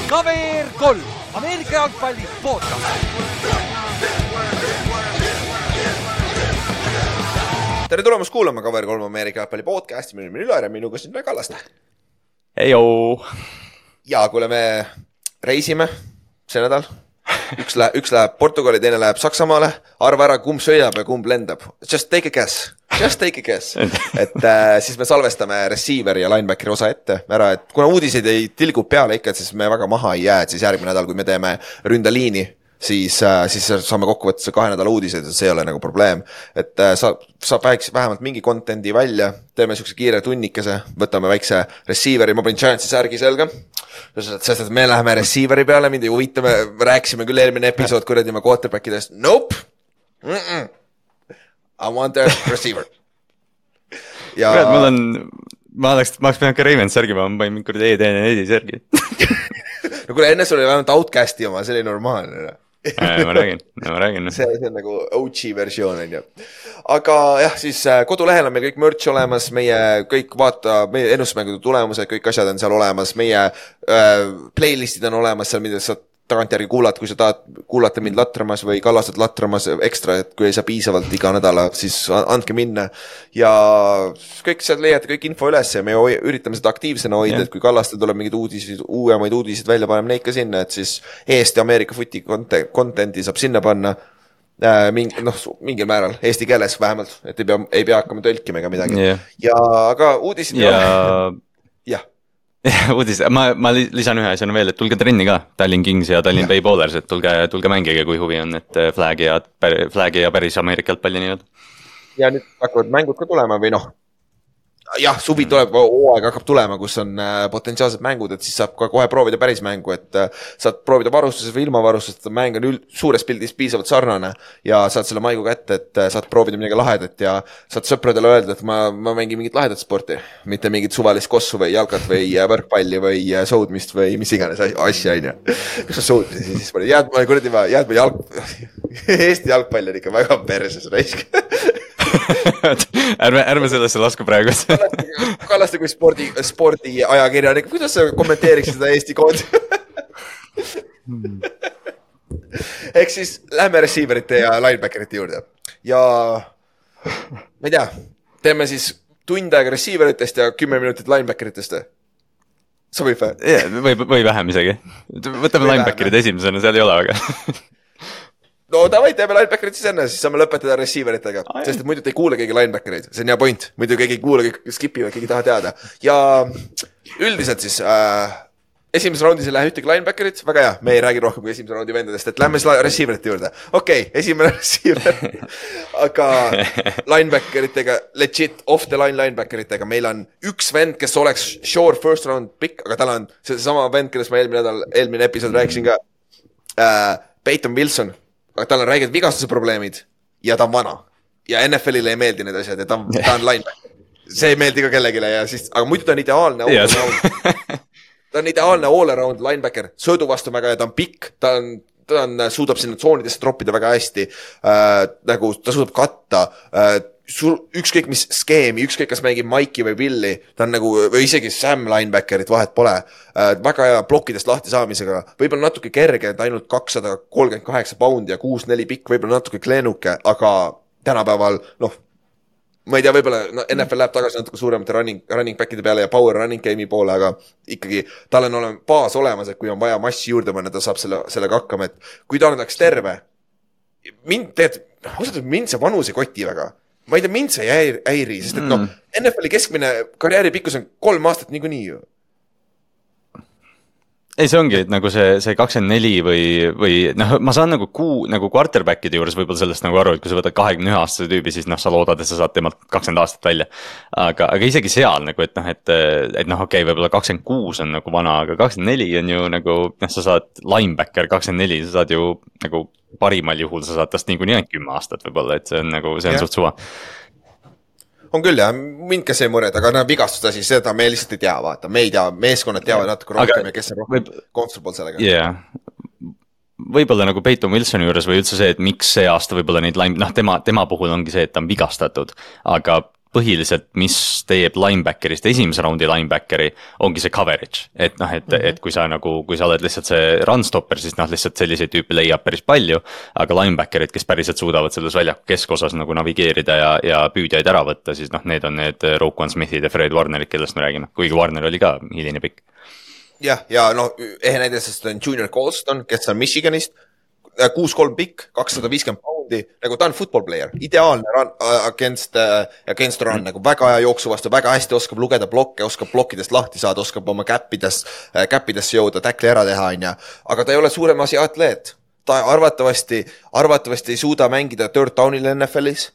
KVR 3, Ameerika jalgpalli podcast. Tere tulemast kuulama KVR 3 Ameerika jalgpalli podcasti, minu nimi Ülar ja minuga siin Kallaste. Heijoo! Ja kuule, me reisime see nädal. Üks läheb Portugali, teine läheb Saksamaale. Arva ära, kumb sõidab ja kumb lendab. Just take a guess. Et siis me salvestame receiver ja linebackeri osa ette ära, et kuna uudiseid ei tilgu peale ikka, et siis me väga maha ei jää, et siis järgmine nädal, kui me teeme ründaliini, siis saame kokku võtta 2 nädala uudiseid, et see ei ole nagu probleem. Et saab vähemalt mingi contenti välja, teeme sükse kiire tunnikese, võtame väikse receiveri, ma panin Giantsi särgi selga, sest et me läheme receiveri peale, mind ei huvita, me rääkisime küll eelmine episood kuradi ma quarterbackidest, nope, I want a receiver. Ja... ma oleks pidanud ka Raymond särgi, ma panin mingi kuradi ED4 särgi. No kuule, enne sul oli vähemalt Outcasti oma, see oli normaalne. ma räägin. See on nagu OG versioon, on ju. Aga jah, siis kodulehel on meil kõik merch olemas, meie kõik meie ennustusmängude tulemused, kõik asjad on seal olemas, meie playlistid on olemas seal, mida saad tagantjärgi kuulata, kui sa tahad kuulata mind latramas või Kallastet latramas ekstra, et kui ei saa piisavalt iga nädala, siis andke minna. Ja kõik sealt leiate kõik info üles ja me üritame seda aktiivsena hoida, et kui Kallastel tuleb mingid uuemaid uudiseid välja, paneme neid ka sinna, et siis Eesti Ameerika Footi contenti saab sinna panna mingil määral, eesti keeles vähemalt, et ei pea hakkama tõlkima ega midagi. Ja aga uudisid jah. Uudis, ma lisan ühe asjana veel, et tulge trenni ka, Tallinn Kings ja Tallinn Bay Bowlers, et tulge mängige, kui huvi on, et flagi ja päris Ameerika jalgpalli nii. Ja nüüd hakkavad mängud ka tulema või jah, suvi tuleb, hooaeg hakkab tulema, kus on potentsiaalsed mängud, et siis saab ka kohe proovida päris mängu, et saad proovida varustuses või ilma varustusest, et mäng on suures pildis piisavalt sarnane ja saad selle maigu kätte, et saad proovida midagi lahedat ja saad sõpradele öelda, et ma mängin mingit lahedat sporti, mitte mingit suvalist kossu või jalkat või võrkpalli või soudmist või mis iganes asja, on ju. Kus sa soudmisi siis pole? Jääd ma Eesti jalgpall on ikka väga perses raisk. ärme sellesse lasku praegu. Kallaste kui spordi ajakirjanik, kuidas sa kommenteeriksid seda Eesti koodi? Ehk siis lähme receiverite ja linebackerite juurde. Ja ma ei tea, teeme siis tund aega receiveritest ja 10 minutit linebackeritest. Sobib või? Või vähem isegi. Võtame linebackerid esimesena, seal ei ole aga. No davai, teeme linebackerid siis enne, siis saame lõpetada receiveritega, sest et muidu te ei kuule keegi linebackerid, see on hea point, muidu keegi ei kuule, kõik skipivad, keegi taha teada. Ja üldiselt siis esimeses raundis ei lähe ühtegi linebackerit, väga hea, me ei räägi rohkem kui esimese raundi vendadest, et lähme siis receiverite juurde. Okei, esimene receiver, aga linebackeritega, legit off the line linebackeritega, meil on üks vend, kes oleks sure first round pick, aga tal on see sama vend, kellest ma eelmine episood rääkisin ka, Peyton Wilson. Aga tal on räiged vigastuse probleemid ja ta on vana. Ja NFL-ile ei meeldi need asjad ja ta on linebacker. See ei meeldi ka kellegile ja siis, aga muidu ta on ideaalne all-around. Ta on ideaalne all-around linebacker, söödu vastu väga ja ta on pikk, ta suudab sinna tsoonidesse troppida väga hästi, nagu ta suudab katta, ükskõik mis skeemi, ükskõik kas mängib Mikey või Willi, ta on nagu, või isegi Sam linebackerit vahet pole, väga hea plokkidest lahti saamisega, võib-olla natuke kerge, et ainult 238 poundi ja 6-4 pikk, võib-olla natuke kleenuke, aga tänapäeval, ma ei tea, võib-olla NFL läheb tagasi natuke suuremate running backide peale ja power running game'i poole, aga ikkagi tal on baas olemas, et kui on vaja massi juurde panna, ta saab sellega hakkama, et kui ta oleks terve, mind see vanus ei koti väga. Ma ei tea, mind see ei häiri, sest et NFL-i keskmine karjääri pikkus on 3 aastat niikuinii ju. Ei, see ongi, et nagu see 24 või ma saan nagu quarterbackide juures võib-olla sellest nagu aru, et kui sa võtad 21-aastase tüübi, siis sa loodad, et sa saad temalt 20 aastat välja. Aga isegi seal nagu, et okei, võib-olla 26 on nagu vana, aga 24 on ju nagu, sa saad linebacker 24, sa saad ju nagu parimal juhul, sa saad tast niikuinii 10 aastat võib-olla, et see on nagu, see on suht suva. On küll jah, mind ka see mured, aga vigastust asi, seda me lihtsalt ei tea, vaata, me ei tea, meeskonnad teavad natuke rohkem ja kes on rohkem comfortable sellega. Yeah. Võib-olla nagu Peyton Wilsoni juures või üldse see, et miks see aasta võib-olla neid tema puhul ongi see, et ta on vigastatud, aga põhiliselt, mis teeb linebackerist, esimese raundi linebackeri, ongi see coverage. Et noh, et kui sa oled lihtsalt see run stopper, siis noh, lihtsalt selliseid tüüpi leiab päris palju. Aga linebackerid, kes päriselt suudavad selles väljaku keskosas nagu navigeerida ja püüdjaid ära võtta, siis noh, need on need Roquan Smithid ja Fred Warnerid, kellest me räägime. Kuigi Warner oli ka hiline pikk. Ja no ehe näide, sest on Junior Colston, kes on Michiganist, 6-3 pikk, 250 poundi, nagu ta on football player, ideaalne run against run, nagu väga hea jooksu vastu, väga hästi oskab lugeda blokke, oskab blokkidest lahti saada, oskab oma käppidesse jõuda, tackli ära teha, aga ta ei ole suurem asi atleet. Ta arvatavasti ei suuda mängida third down'il NFL-is,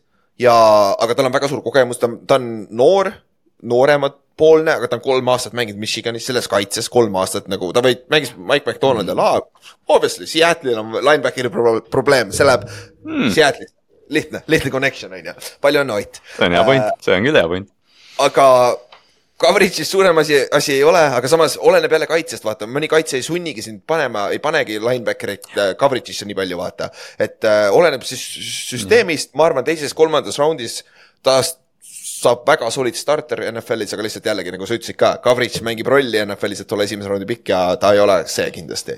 aga tal on väga suur kogemus, ta on nooremad poolne, aga ta on 3 aastat mänginud Michiganis, selles kaitses 3 aastat, nagu ta mängis Mike McDonald ja obviously, Seattle'il on linebackeri probleem, see läheb Seattle'ist, lihtne connection, palju on Ott. See on hea point, see on küll hea point. Aga coverage'is suurem asi ei ole, aga samas oleneb jälle kaitsest, vaata, mõni kaitse ei sunnigi sind ei panegi linebackerit coverage'isse nii palju, vaata, et oleneb siis süsteemist, ma arvan, 2.-3. raundis taas saab väga solid starter NFL-is, aga lihtsalt jällegi, nagu sa ütlesid ka, coverage mängib rolli NFL-is, et ole esimese raundi pikk ja ta ei ole see kindlasti.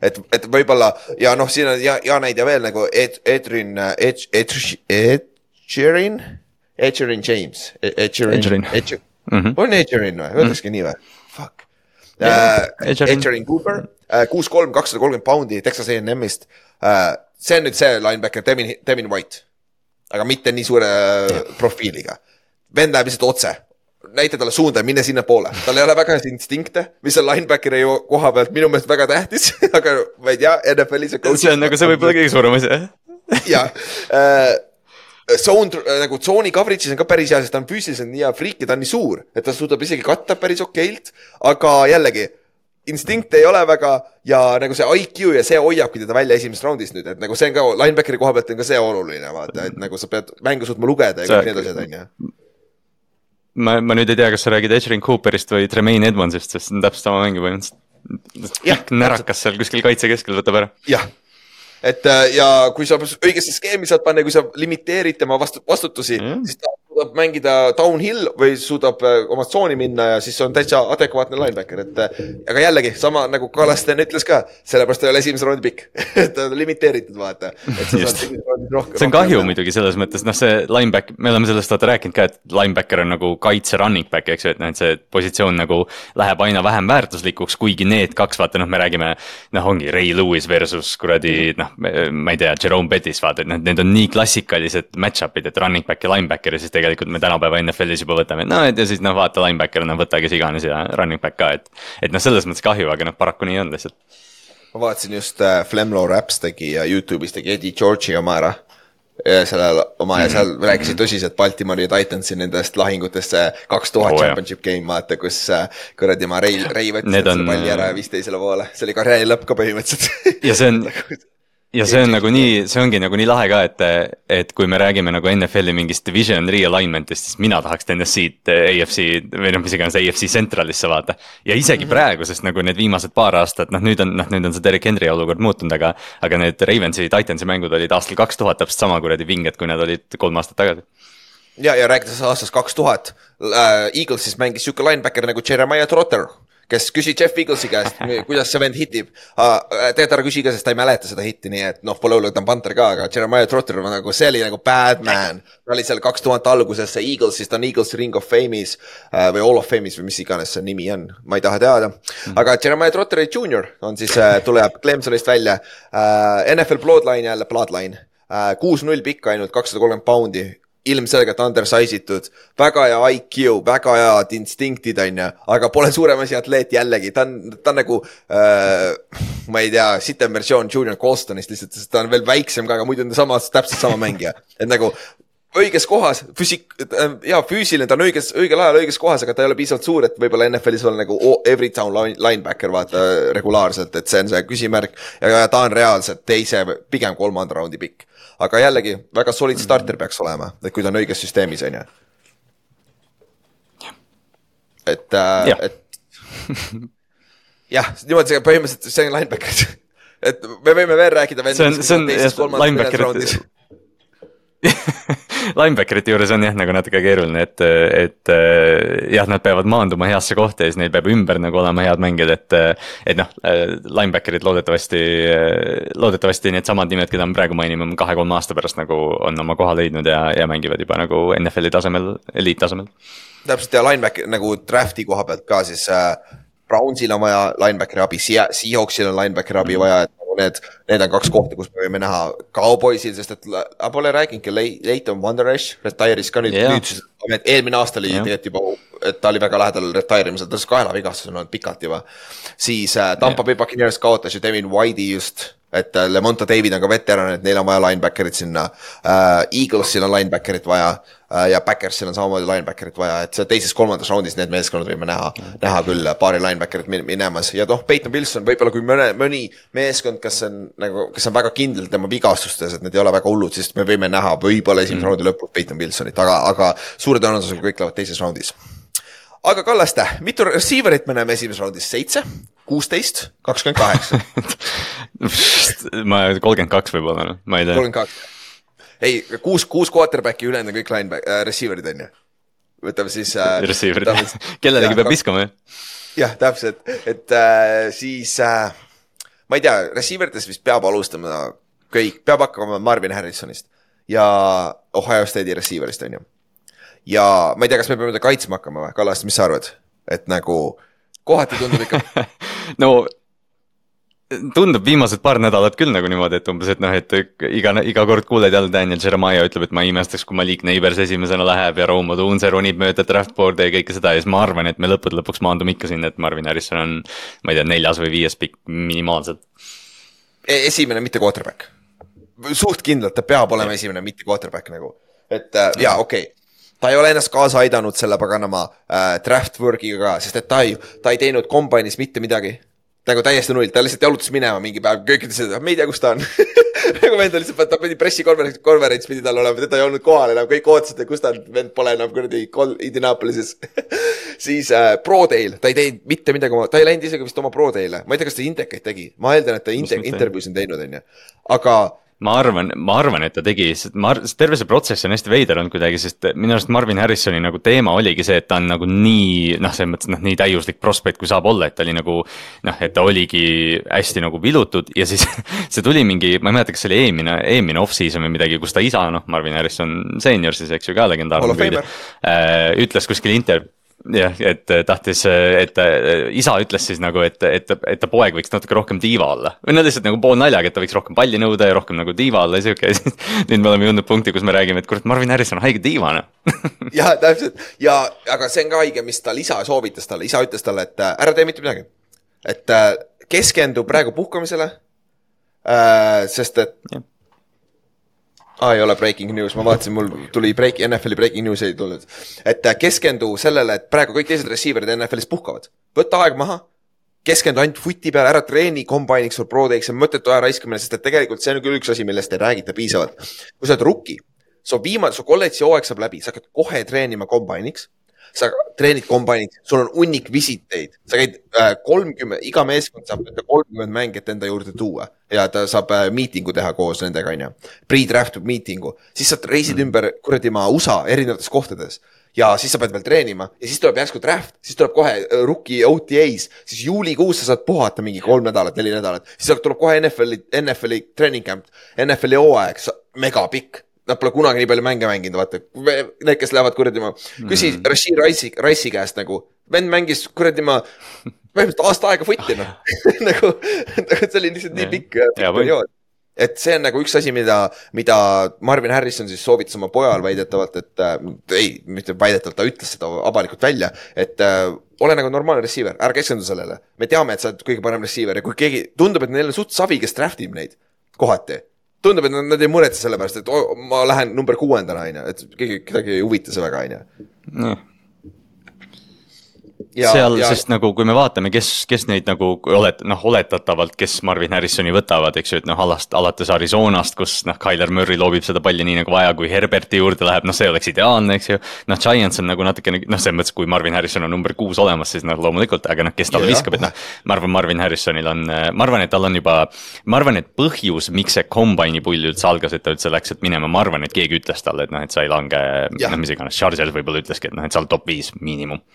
Et võib-olla, ja noh, siin on ja näide veel nagu Edgerrin James. On Edgerrin või? Öeldakski nii või? Fuck. Edgerrin Cooper, 6'3", 230 poundi Texas A&Mist. See on nüüd see linebacker Devin White, aga mitte nii suure profiiliga. Vend läheb lihtsalt otse, näita talle suunda ja minne sinna poole. Tal ei ole väga instinkte, mis on linebackeri koha pealt minu meelest väga tähtis, aga ma ei tea, NFL-is see on nagu see võib-olla kõige suurem asi. Ja, tsooni coverage'is on ka päris hea, sest ta on füüsiliselt nii hea friik ja ta on nii suur, et ta suudab isegi katta päris okeilt, aga jällegi, instinkt ei ole väga ja nagu see IQ ja see hoiabki teda välja esimesest raundist nüüd, et nagu see on ka linebackeri koha pealt on ka see oluline, vaata, et nagu sa pead mängu suutma lugeda ja kõik need asjad on, jah. Ma nüüd ei tea, kas sa räägid Edgerrin Cooperist või Tremaine Edmondsist, sest see on täpselt sama mängi põhimõtteliselt. Närakas seal kuskil kaitse keskel võtab ära. Jah, et ja kui sa õigesse skeemi saad panna, kui sa limiteerid tema vastutusi, siis ta suudab mängida downhill või suudab oma tsooni minna ja siis on täitsa adekvaatne linebacker, et aga jällegi, sama nagu Kalasten ütles ka, sellepärast ei ole esimese raundi pikk, et on limiteeritud, vaata. See on kahju muidugi selles mõttes, noh see linebacker, me oleme sellest rääkinud ka, et linebacker on nagu kaitse running back, eks ju, et see positsioon nagu läheb aina vähem väärtuslikuks, kuigi need kaks, vaata, me räägime, ongi Ray Lewis versus kuradi, ma ei tea, Jerome Bettis, vaata, et need on nii klassikalised match-up'id, et running back ja linebacker ja siis tegelikult me tänapäeva NFL-is juba võtame, ja siis vaata linebacker, võta kes iganes ja running back ka, et selles mõttes kahju, aga paraku nii on lihtsalt. Ma vaatasin just Flemlo Raps tegi ja YouTube'is tegi Eddie George'i oma ära ja seal rääkisid tõsiselt Baltimore ja Titansi nendest lahingutest 2000 championship game, vaata, kus kuradi ma Ray võttis selle palli ära ja viis teisele poole, see oli karjääri lõpp ka põhimõtteliselt. Ja see on nagu nii, see ongi nagu nii lahe ka, et kui me räägime nagu NFL-i mingist division realignment'ist, siis mina tahaks TNS-id AFC või mis iganes AFC Centralisse vaata. Ja isegi praegu, sest nagu need viimased paar aastat, nüüd on see Derek Henry olukord muutunud, aga need Ravensi ja Titansi mängud olid aastal 2000 täpselt sama kuradi vinged, kui need olid 3 aastat tagasi. Ja rääkides aastast 2000, Eaglesis mängis siuke linebacker nagu Jeremiah Trotter, kes küsi Jeff Eaglesi käest, kuidas see vend hitib. Tegelikult ära küsi ka, sest ta ei mäleta seda hitti, nii et pole hullu, ta on panter ka, aga Jeremiah Trotter nagu, see oli nagu bad man. Ta oli seal 2000 alguses see Eaglesis, ta on Eagles Ring of Fame'is või All of Fame'is või mis iganes see nimi on, ma ei taha teada. Aga Jeremiah Trotter Junior on siis, tuleb Clemsonist välja, NFL Bloodline jälle, Bloodline, 6-0 pikk ainult, 230 poundi. Ilmselgelt undersizitud, väga hea IQ, väga head instinktid on ja, aga pole suurem asi atleet jällegi, ta on nagu, ma ei tea, sitem versioon Junior Colstonist lihtsalt, sest ta on veel väiksem ka, aga muidu on täpselt sama mängija, et nagu õiges kohas, füüsiline, ta on õigel ajal õiges kohas, aga ta ei ole piisavalt suur, et võib-olla NFL-is on nagu every town linebacker, vaata, regulaarselt, et see on see küsimärk ja ta on reaalselt pigem 3. raundi pikk. Aga jällegi, väga solid starter peaks olema, et kui ta on õiges süsteemis, on ju. Et jah, niimoodi see põhimõtteliselt, see on linebacker. Et me võime veel rääkida see on linebackerit Linebackerite juures on jah nagu natuke keeruline, et jah, nad peavad maanduma heasse kohta ja siis neil peab ümber nagu olema head mängijad, et noh, linebackerid loodetavasti need samad nimed, keda me praegu mainime 2-3 aasta pärast nagu on oma koha leidnud ja mängivad juba nagu NFL-i tasemel, eliittasemel. Täpselt ja linebacker nagu drafti koha pealt ka siis Brownsil on vaja linebackeri abi, Seahawksil on linebackeri abi vaja, et need on 2 kohta, kus me võime näha Cowboysil, sest et pole rääginudki Leighton Vander Esch retire'is ka nüüd, eelmine aasta oli tegelikult juba, et ta oli väga lähedal retire'imisel, ta on kaelavigastus on olnud pikalt juba. Siis Tampa Bay Buccaneers kaotas ju Devin Whitey just, et Lemonta David on ka veteran, et neil on vaja linebackerit sinna. Eaglesil on linebackerit vaja ja Packersil on samamoodi linebackerit vaja, et see teises-kolmandas raundis need meeskonnad võime näha küll paari linebackerit minemas. Ja Peyton Wilson võib-olla kui mõni meeskond, kes on väga kindel tema vigastustes, et need ei ole väga hullud, siis me võime näha võib-olla esimese raundi lõpus Peyton Wilsonit, aga suure tõenäosusega kõik lähevad teises raundis. Aga Kallaste, mitu receiverit me näeme esimeses raundis? 7, 16, 28? Ma 32 võib-olla, ma ei tea. 32. Ei, 6 quarterbacki ülejäänud kõik receiverid on ju. Võtame siis... receiverid, kellelegi peab viskama ju. Jah, täpselt, et siis ma ei tea, receiveritest vist peab alustama kõik, peab hakkama Marvin Harrisonist ja Ohio State'i receiverist on ju. Ja ma ei tea, kas me peame kaitsma hakkama või? Kallast, mis sa arvad? Et nagu kohati tundub ikka... No tundub viimased paar nädalat küll nagu niimoodi, et umbes, et noh, et iga kord kuuled jälle Daniel Jeremiah ütleb, et ma imestaks, kui Malik Neighbors esimesena läheb ja Rome Odunze ronib mööda draftboard'e ja kõike seda ja siis ma arvan, et me lõpuks maandume ikka sinna, et Marvin Harrison on, ma ei tea, 4. või 5. pikk minimaalselt. Esimene mitte quarterback. Suht kindlalt, ta peab olema esimene mitte quarterback nagu. Et jaa, okei. Ta ei ole ennast kaasa aidanud selle paganama draft work'iga ka, sest et ta ei teinud combainis mitte midagi. Nagu täiesti null, ta lihtsalt jalutas minema mingi päev, kõik ütlesid, et me ei tea, kus ta on. Nagu vend on lihtsalt, ta pidi pressikonverents pidi tal olema, teda ei olnud kohal enam, kõik ootasid, kus ta on, vend pole enam kuradi Indianapolises. Siis Pro Dale, ta ei teinud mitte midagi, ta ei läinud isegi vist oma Pro Dale'e, ma ei tea, kas ta intekaid tegi, ma eeldan, et ta intervjuus on teinud, on ju. Aga ma arvan, et ta tegi, terve see protsess on hästi veider olnud kuidagi, sest minu arust Marvin Harrisoni nagu teema oligi see, et ta on nagu nii, noh, selles mõttes, nii täiuslik prospekt, kui saab olla, et ta oli nagu, noh, et ta oligi hästi nagu vilutud ja siis see tuli mingi, ma ei mäleta, kas see oli eelmine off-season või midagi, kus ta isa, noh, Marvin Harrison senior siis, eks ju, ka legendaarne püüdi, ütles kuskil jah, et tahtis, et isa ütles siis nagu, et ta poeg võiks natuke rohkem diiva olla. Või nad lihtsalt nagu pool naljaga, et ta võiks rohkem palli nõuda ja rohkem nagu diiva olla ja siuke. Nüüd me oleme jõudnud punkti, kus me räägime, et kurat, Marvin Harrison on haige diivana. Jah, täpselt. Ja, aga see on ka haige, mis tal isa soovitas talle. Isa ütles talle, et ära tee mitte midagi. Et keskendu praegu puhkamisele, sest et... Ja. Ei ole breaking news, ma vaatasin, mul tuli NFL-i breaking news ei tulnud. Et keskendu sellele, et praegu kõik teised receiverid NFL-is puhkavad. Võtta aeg maha, keskendu ainult footi peale, ära treeni kombainiks või pro-teiks, see mõttetu aja raiskamine, sest et tegelikult see on küll üks asi, millest ei räägita piisavalt. Kui sa oled rookie, su kolledži hooaeg saab läbi, sa hakkad kohe treenima kombainiks, sa treenid kombainid, sul on unnik visiteid, sa käid 30, iga meeskond saab 30 mängijat enda juurde tuua ja ta saab miitingu teha koos nendega, pre-draft miitingu, siis sa reisid ümber kuradi USA erinevates kohtades ja siis sa pead veel treenima ja siis tuleb järsku draft, siis tuleb kohe rookie OTAs, siis juulikuus sa saad puhata mingi 3 nädalat, 4 nädalat, siis tuleb kohe NFL-i training camp, NFL-i hooaeg, megapikk. Nad pole kunagi nii palju mänge mänginud, vaata. Need, kes lähevad kuradima. Küsi Rashid Rice'i käest nagu, vend mängis kuradima vähemalt aasta aega footina. nagu see oli lihtsalt nii pikk periood. Et see on nagu üks asi, mida Marvin Harrison siis soovitas oma pojal väidetavalt, et mitte väidetavalt, ta ütles seda avalikult välja, et ole nagu normaalne receiver, ära keskendu sellele. Me teame, et sa oled kõige parem receiver ja kui keegi tundub, et neil on suht savi, kes draftib neid kohati. Tundub, et nad ei muretse selle pärast, et ma lähen number 6, et kedagi ei huvita see väga, sest nagu kui me vaatame, kes neid nagu oletatavalt, kes Marvin Harrisoni võtavad, eks ju, et alates Arizonast, kus Kyler Murray loobib seda palli nii nagu vaja, kui Herberti juurde läheb, see oleks ideaalne, eks ju. Giants on nagu natukene, selles mõttes, kui Marvin Harrison on number 6 olemas, siis loomulikult, aga kes talle viskab, et ma arvan, Marvin Harrisonil on, ma arvan, et tal on juba, ma arvan, et põhjus, miks see kombaini pull üldse algas, et ta üldse läks, et minema, ma arvan, et keegi ütles talle, et sa ei lange, mis iganes, Chargers võib-olla ütleski, et sa oled top 5 miinimum.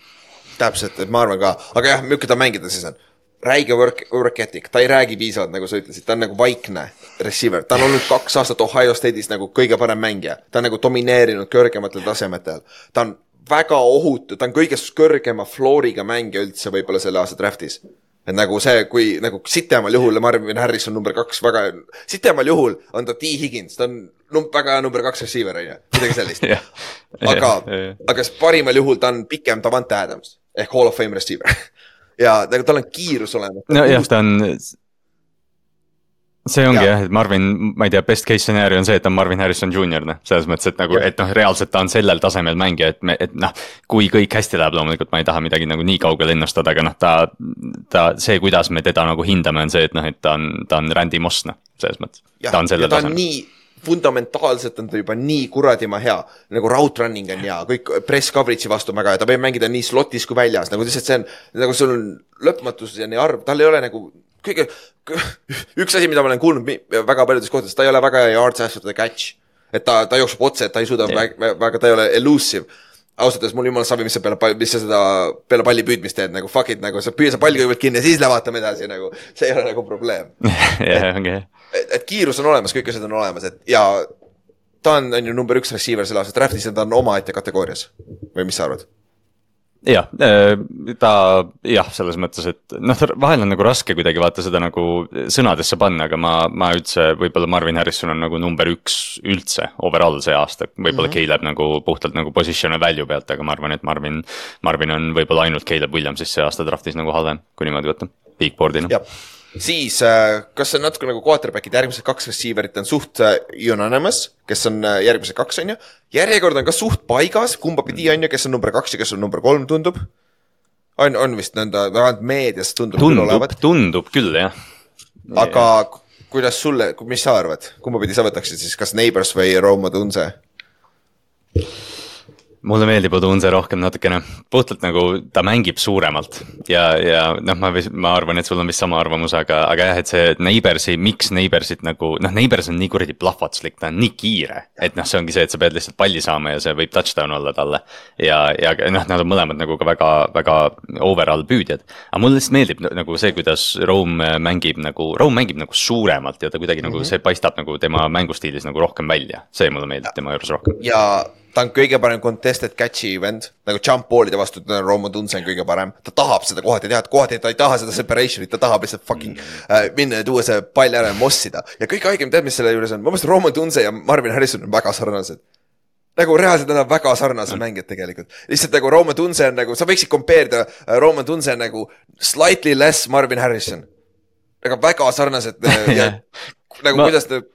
Täpselt, et ma arvan ka, aga jah, milline ta mängida siis on? Räige work ethic, ta ei räägi piisavalt, nagu sa ütlesid, ta on nagu vaikne receiver, ta on olnud 2 aastat Ohio State'is nagu kõige parem mängija, ta on nagu domineerinud kõrgematel tasemetel, ta on väga ohutu, ta on kõige kõrgema flooriga mängija üldse võib-olla selle aasta draftis. Et nagu see, kui nagu sitemal juhul Marvin Harrison number 2 väga, sitemal juhul on ta T. Higgins, ta on väga number 2 receiver, midagi sellist. Aga parimal juhul ta on pikem Davante Adams ehk Hall of Fame receiver. Ja nagu tal on kiirus olemas. No jah, ta on, see ongi jah, et Marvin, ma ei tea, best case scenario on see, et ta on Marvin Harrison Jr. Selles mõttes, et nagu, et reaalselt ta on sellel tasemel mängija, et kui kõik hästi läheb, loomulikult ma ei taha midagi nagu nii kaugel ennustada, aga ta see, kuidas me teda nagu hindame, on see, et et ta on Randy Moss, selles mõttes, ta on sellel tasemel. Nii fundamentaalselt on ta juba nii kuradima hea, nagu route running on hea, kõik press coverage'i vastu väga ja ta võib mängida nii slotis kui väljas, nagu lihtsalt see on, nagu sul on lõpmatus ja nii arv, tal ei ole nagu kõige, üks asi, mida ma olen kuulnud väga paljudes kohtades, ta ei ole väga yards after the catch, et ta jookseb otse, et ta ei suuda väga, ta ei ole elusive. Ausalt, mul jumal sabi, mis sa seda peale palli püüdmist teed, nagu fuck it, nagu sa püüa palli kõigepealt kinni ja siis lävatame edasi, nagu see ei ole nagu probleem. Et kiirus on olemas, kõik asjad on olemas, et ja ta on ju number 1 receiver selle aasta draftis ja ta on omaette kategoorias. Või mis sa arvad? Jah, selles mõttes, et vahel on nagu raske kuidagi vaata seda nagu sõnadesse panna, aga ma üldse, võib-olla Marvin Harrison on nagu number 1 üldse overall see aasta, võib-olla Caleb nagu puhtalt nagu position value pealt, aga ma arvan, et Marvin on võib-olla ainult Caleb Williamsis see aasta draftis nagu halvem, kui niimoodi võtta, big board'ina. Siis, kas on natuke nagu quarterbackid, järgmised 2 receiverit on suht unanimous, kes on järgmised 2 on ju, järjekord on ka suht paigas, kumba pidi on ju, kes on number 2 ja kes on number 3 tundub, on vist nõnda, vähemalt meedias tundub küll, jah. Aga kuidas sulle, mis sa arvad, kumba pidi sa võtaksid siis, kas Neighbors või Rome Odunze? Mulle meeldib Odunze rohkem natukene, puhtalt nagu ta mängib suuremalt ja ma arvan, et sul on vist sama arvamus, aga jah, et see Neighborsi, miks Neighborsit nagu, Neighbors on nii kuradi plahvatuslik, ta on nii kiire, et see ongi see, et sa pead lihtsalt palli saama ja see võib touchdown olla talle ja nad on mõlemad nagu ka väga overall püüdjad, aga mulle lihtsalt meeldib nagu see, kuidas Rome mängib nagu suuremalt ja ta kuidagi nagu see paistab nagu tema mängustiilis nagu rohkem välja, see mulle meeldib tema juures rohkem. Ja ta on kõige parem contested catch'i vend, nagu jump ball'ide vastu, Rome Odunze on kõige parem, ta tahab seda kohati teha, et kohati ta ei taha seda separation'it, ta tahab lihtsalt fucking minna ja tuua see pall ära ja mossida. Ja kõik haigem tead, mis selle juures on, ma mõtlen Rome Odunze ja Marvin Harrison on väga sarnased. Nagu reaalselt nad on väga sarnased mängijad tegelikult. Lihtsalt nagu Rome Odunze on nagu, sa võiksid kompeerida, Rome Odunze on nagu slightly less Marvin Harrison. Nagu väga sarnased ja nagu kuidas ta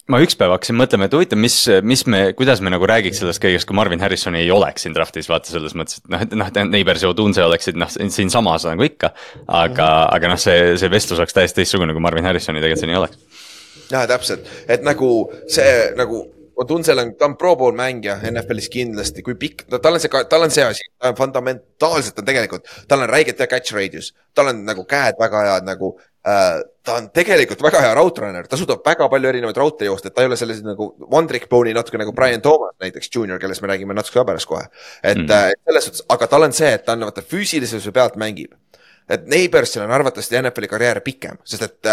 ma ükspäev hakkasin mõtlema, et huvitav, kuidas me nagu räägiks sellest kõigest, kui Marvin Harrison ei oleks siin draftis, vaata selles mõttes, et Neighbors ja Odunze oleksid siin samas nagu ikka, aga see vestlus oleks täiesti teistsugune, kui Marvin Harrisoni tegelikult siin ei oleks. Ja, täpselt, et nagu see nagu Odunzel ta on Pro Bowl mängija NFL-is kindlasti, kui pikk, tal on see asi, ta on fundamentaalselt on tegelikult, tal on räiget ja catch radius, tal on nagu käed väga head nagu ta on tegelikult väga hea route runner, ta suudab väga palju erinevaid raute joosta, et ta ei ole sellised nagu one trick pony natuke nagu Brian Thomas näiteks junior, kellest me räägime natuke pärast kohe. Et selles suhtes, aga tal on see, et ta on füüsilisuse pealt mängib. Et Neighborsil on arvatavasti NFL-i karjäär pikem, sest et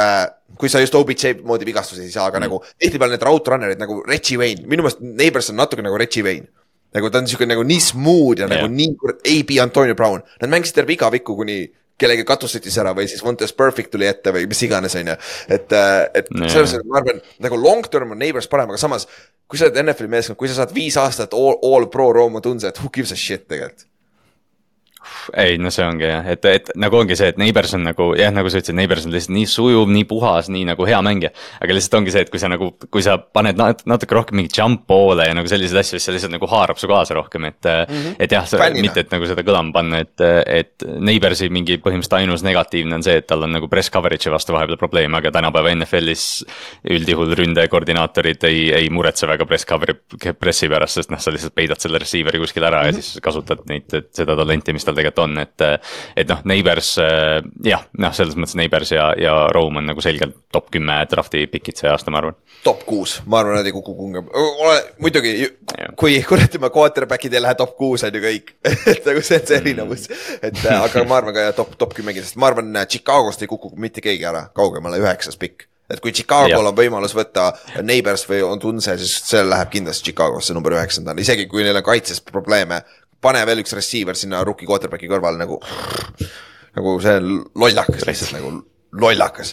kui sa just OBJ moodi vigastusi ei saa, aga nagu tihtipeale need route runnerid nagu Reggie Wayne, minu meelest Neighbors on natuke nagu Reggie Wayne. Nagu ta on niisugune nagu nii smooth ja nagu nii AB Antonio Brown. Nad mängisid terve iga vikku, kuni kellegi katussetis ära või siis Vontaze Perfect tuli ette või mis iganes on ju. Et selles mõttes, ma arvan, nagu long term on Neighbors parem, aga samas, kui sa oled NFL-i meeskond, kui sa saad 5 aastat all pro Rome Odunze, et who gives a shit tegelikult? ei, no see ongi jah, et nagu ongi see, et Neighbors on nagu jah, nagu sa ütlesid, Neighbors on lihtsalt nii sujuv, nii puhas, nii nagu hea mängija. Aga lihtsalt ongi see, et kui sa paned natuke rohkem mingi jump poole ja nagu selliseid asju, siis see lihtsalt nagu haarab su kaasa rohkem, et jah, mitte et nagu seda kõlama panna, et Neighborsi mingi põhimõtteliselt ainus negatiivne on see, et tal on nagu press coverage'i vastu vahepeal probleem, aga tänapäeva NFL-is üldjuhul ründekoordinaatorid ei muretse väga pressi pärast, sest sa lihtsalt peidad selle receiver'i kuskil ära ja siis kasutad seda talenti, mis tal tegelikult on, et noh, Neighbors, jah, selles mõttes Neighbors ja Rome on nagu selgelt top 10 drafti pikid see aasta, ma arvan. Top 6, ma arvan, nad ei kuku kunga. Muidugi, kui kuratime quarterbackid ei lähe top 6 on ju kõik, et nagu see on see erinevus, aga ma arvan ka top 10, sest ma arvan, Chicagost ei kuku mitte keegi ära, kaugemale 9. pikk. Et kui Chicago'l on võimalus võtta Neighbors või on Tunse, siis see läheb kindlasti Chicagosse number 9. Isegi kui neil on kaitses probleeme, pane veel üks receiver sinna rookie quarterbacki kõrval nagu see on lollakas lihtsalt nagu lollakas.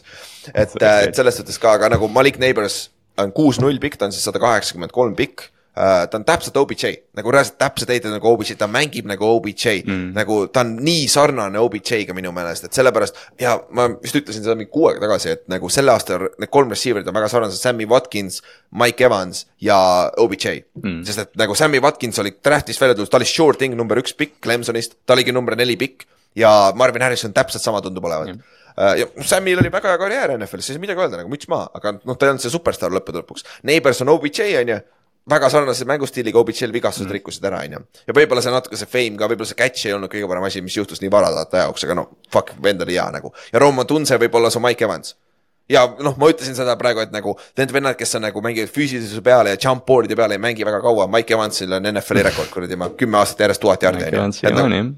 Et selles suhtes ka, aga nagu Malik Neighbors on 6-0 pikk, ta on siis 183 pikk. Ta on täpselt OBJ, nagu reaalselt täpselt heited nagu OBJ, ta mängib nagu OBJ, nagu ta on nii sarnane OBJ-ga minu meelest, et sellepärast, ja ma vist ütlesin seda mingi 6 aega tagasi, et nagu selle aasta need 3 receiverid on väga sarnased, Sammy Watkins, Mike Evans ja OBJ, sest et nagu Sammy Watkins oli draftis välja tulnud, ta oli sure thing number 1 pikk Clemsonist, ta oligi number 4 pikk ja Marvin Harrison täpselt sama tundub olevat. Ja Sammil oli väga hea karjäär NFL-is, siis midagi öelda, nagu müts maha, aga ta ei olnud see superstar lõppude lõpuks. Neighbors on OBJ, on ju, väga sarnase mängustiiliga OBJ-l vigastused rikkusid ära, on ju. Ja võib-olla see natuke see fame ka, võib-olla see catch ei olnud kõige parem asi, mis juhtus nii varalata jaoks, aga no, fuck, vend oli hea nagu. Ja Roman Tunse võib-olla see Mike Evans. Ja noh, ma ütlesin seda praegu, et nagu need vennad, kes on nagu mängivad füüsilisuse peale ja jump boardide peale ei mängi väga kaua, Mike Evansil on NFL-i rekord, kuradi ma 10 aastat järjest 1000 jardi.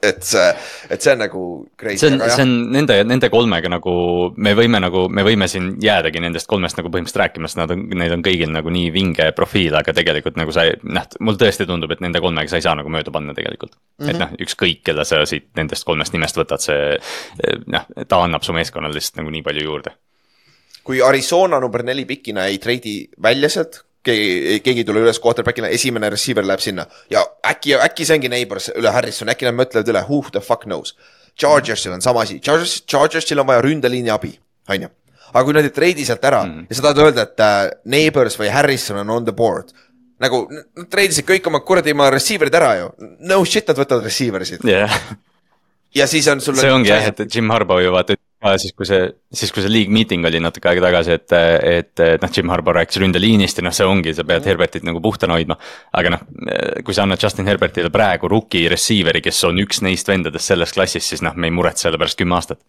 Et see on nagu crazy. See on nende kolmega nagu, me võime siin jäädagi nendest kolmest nagu põhimõtteliselt rääkima, sest neil on kõigil nagu nii vinge profiil, aga tegelikult nagu mul tõesti tundub, et nende kolmega sa ei saa nagu mööda panna tegelikult. Et noh, ükskõik, kelle sa siit nendest kolmest nimest võtad, ta annab su meeskonnal lihtsalt nagu nii palju juurde. Kui Arizona number 4 pikina ei treidi välja sealt, keegi tule üles quarterbackina, esimene receiver läheb sinna ja äkki see ongi Neighbors üle Harrison, äkki nad mõtlevad üle, who the fuck knows. Chargersil on sama asi, Chargersil on vaja ründeliini abi, on ju. Aga kui nad ei treidi sealt ära ja sa tahad öelda, et Neighbors või Harrison on on the board, nagu nad treidisid kõik oma kuradi receiverid ära ju, no shit, nad võtavad receiversid. Ja siis on sul see ongi jah, et Jim Harbaugh ju vaata siis kui see league meeting oli natuke aega tagasi, et Jim Harbaugh rääkis ründeliinist ja see ongi, sa pead Herbertit nagu puhtana hoidma, aga kui sa annad Justin Herbertile praegu rookie receiveri, kes on üks neist vendadest selles klassis, siis me ei muretse selle pärast 10 aastat.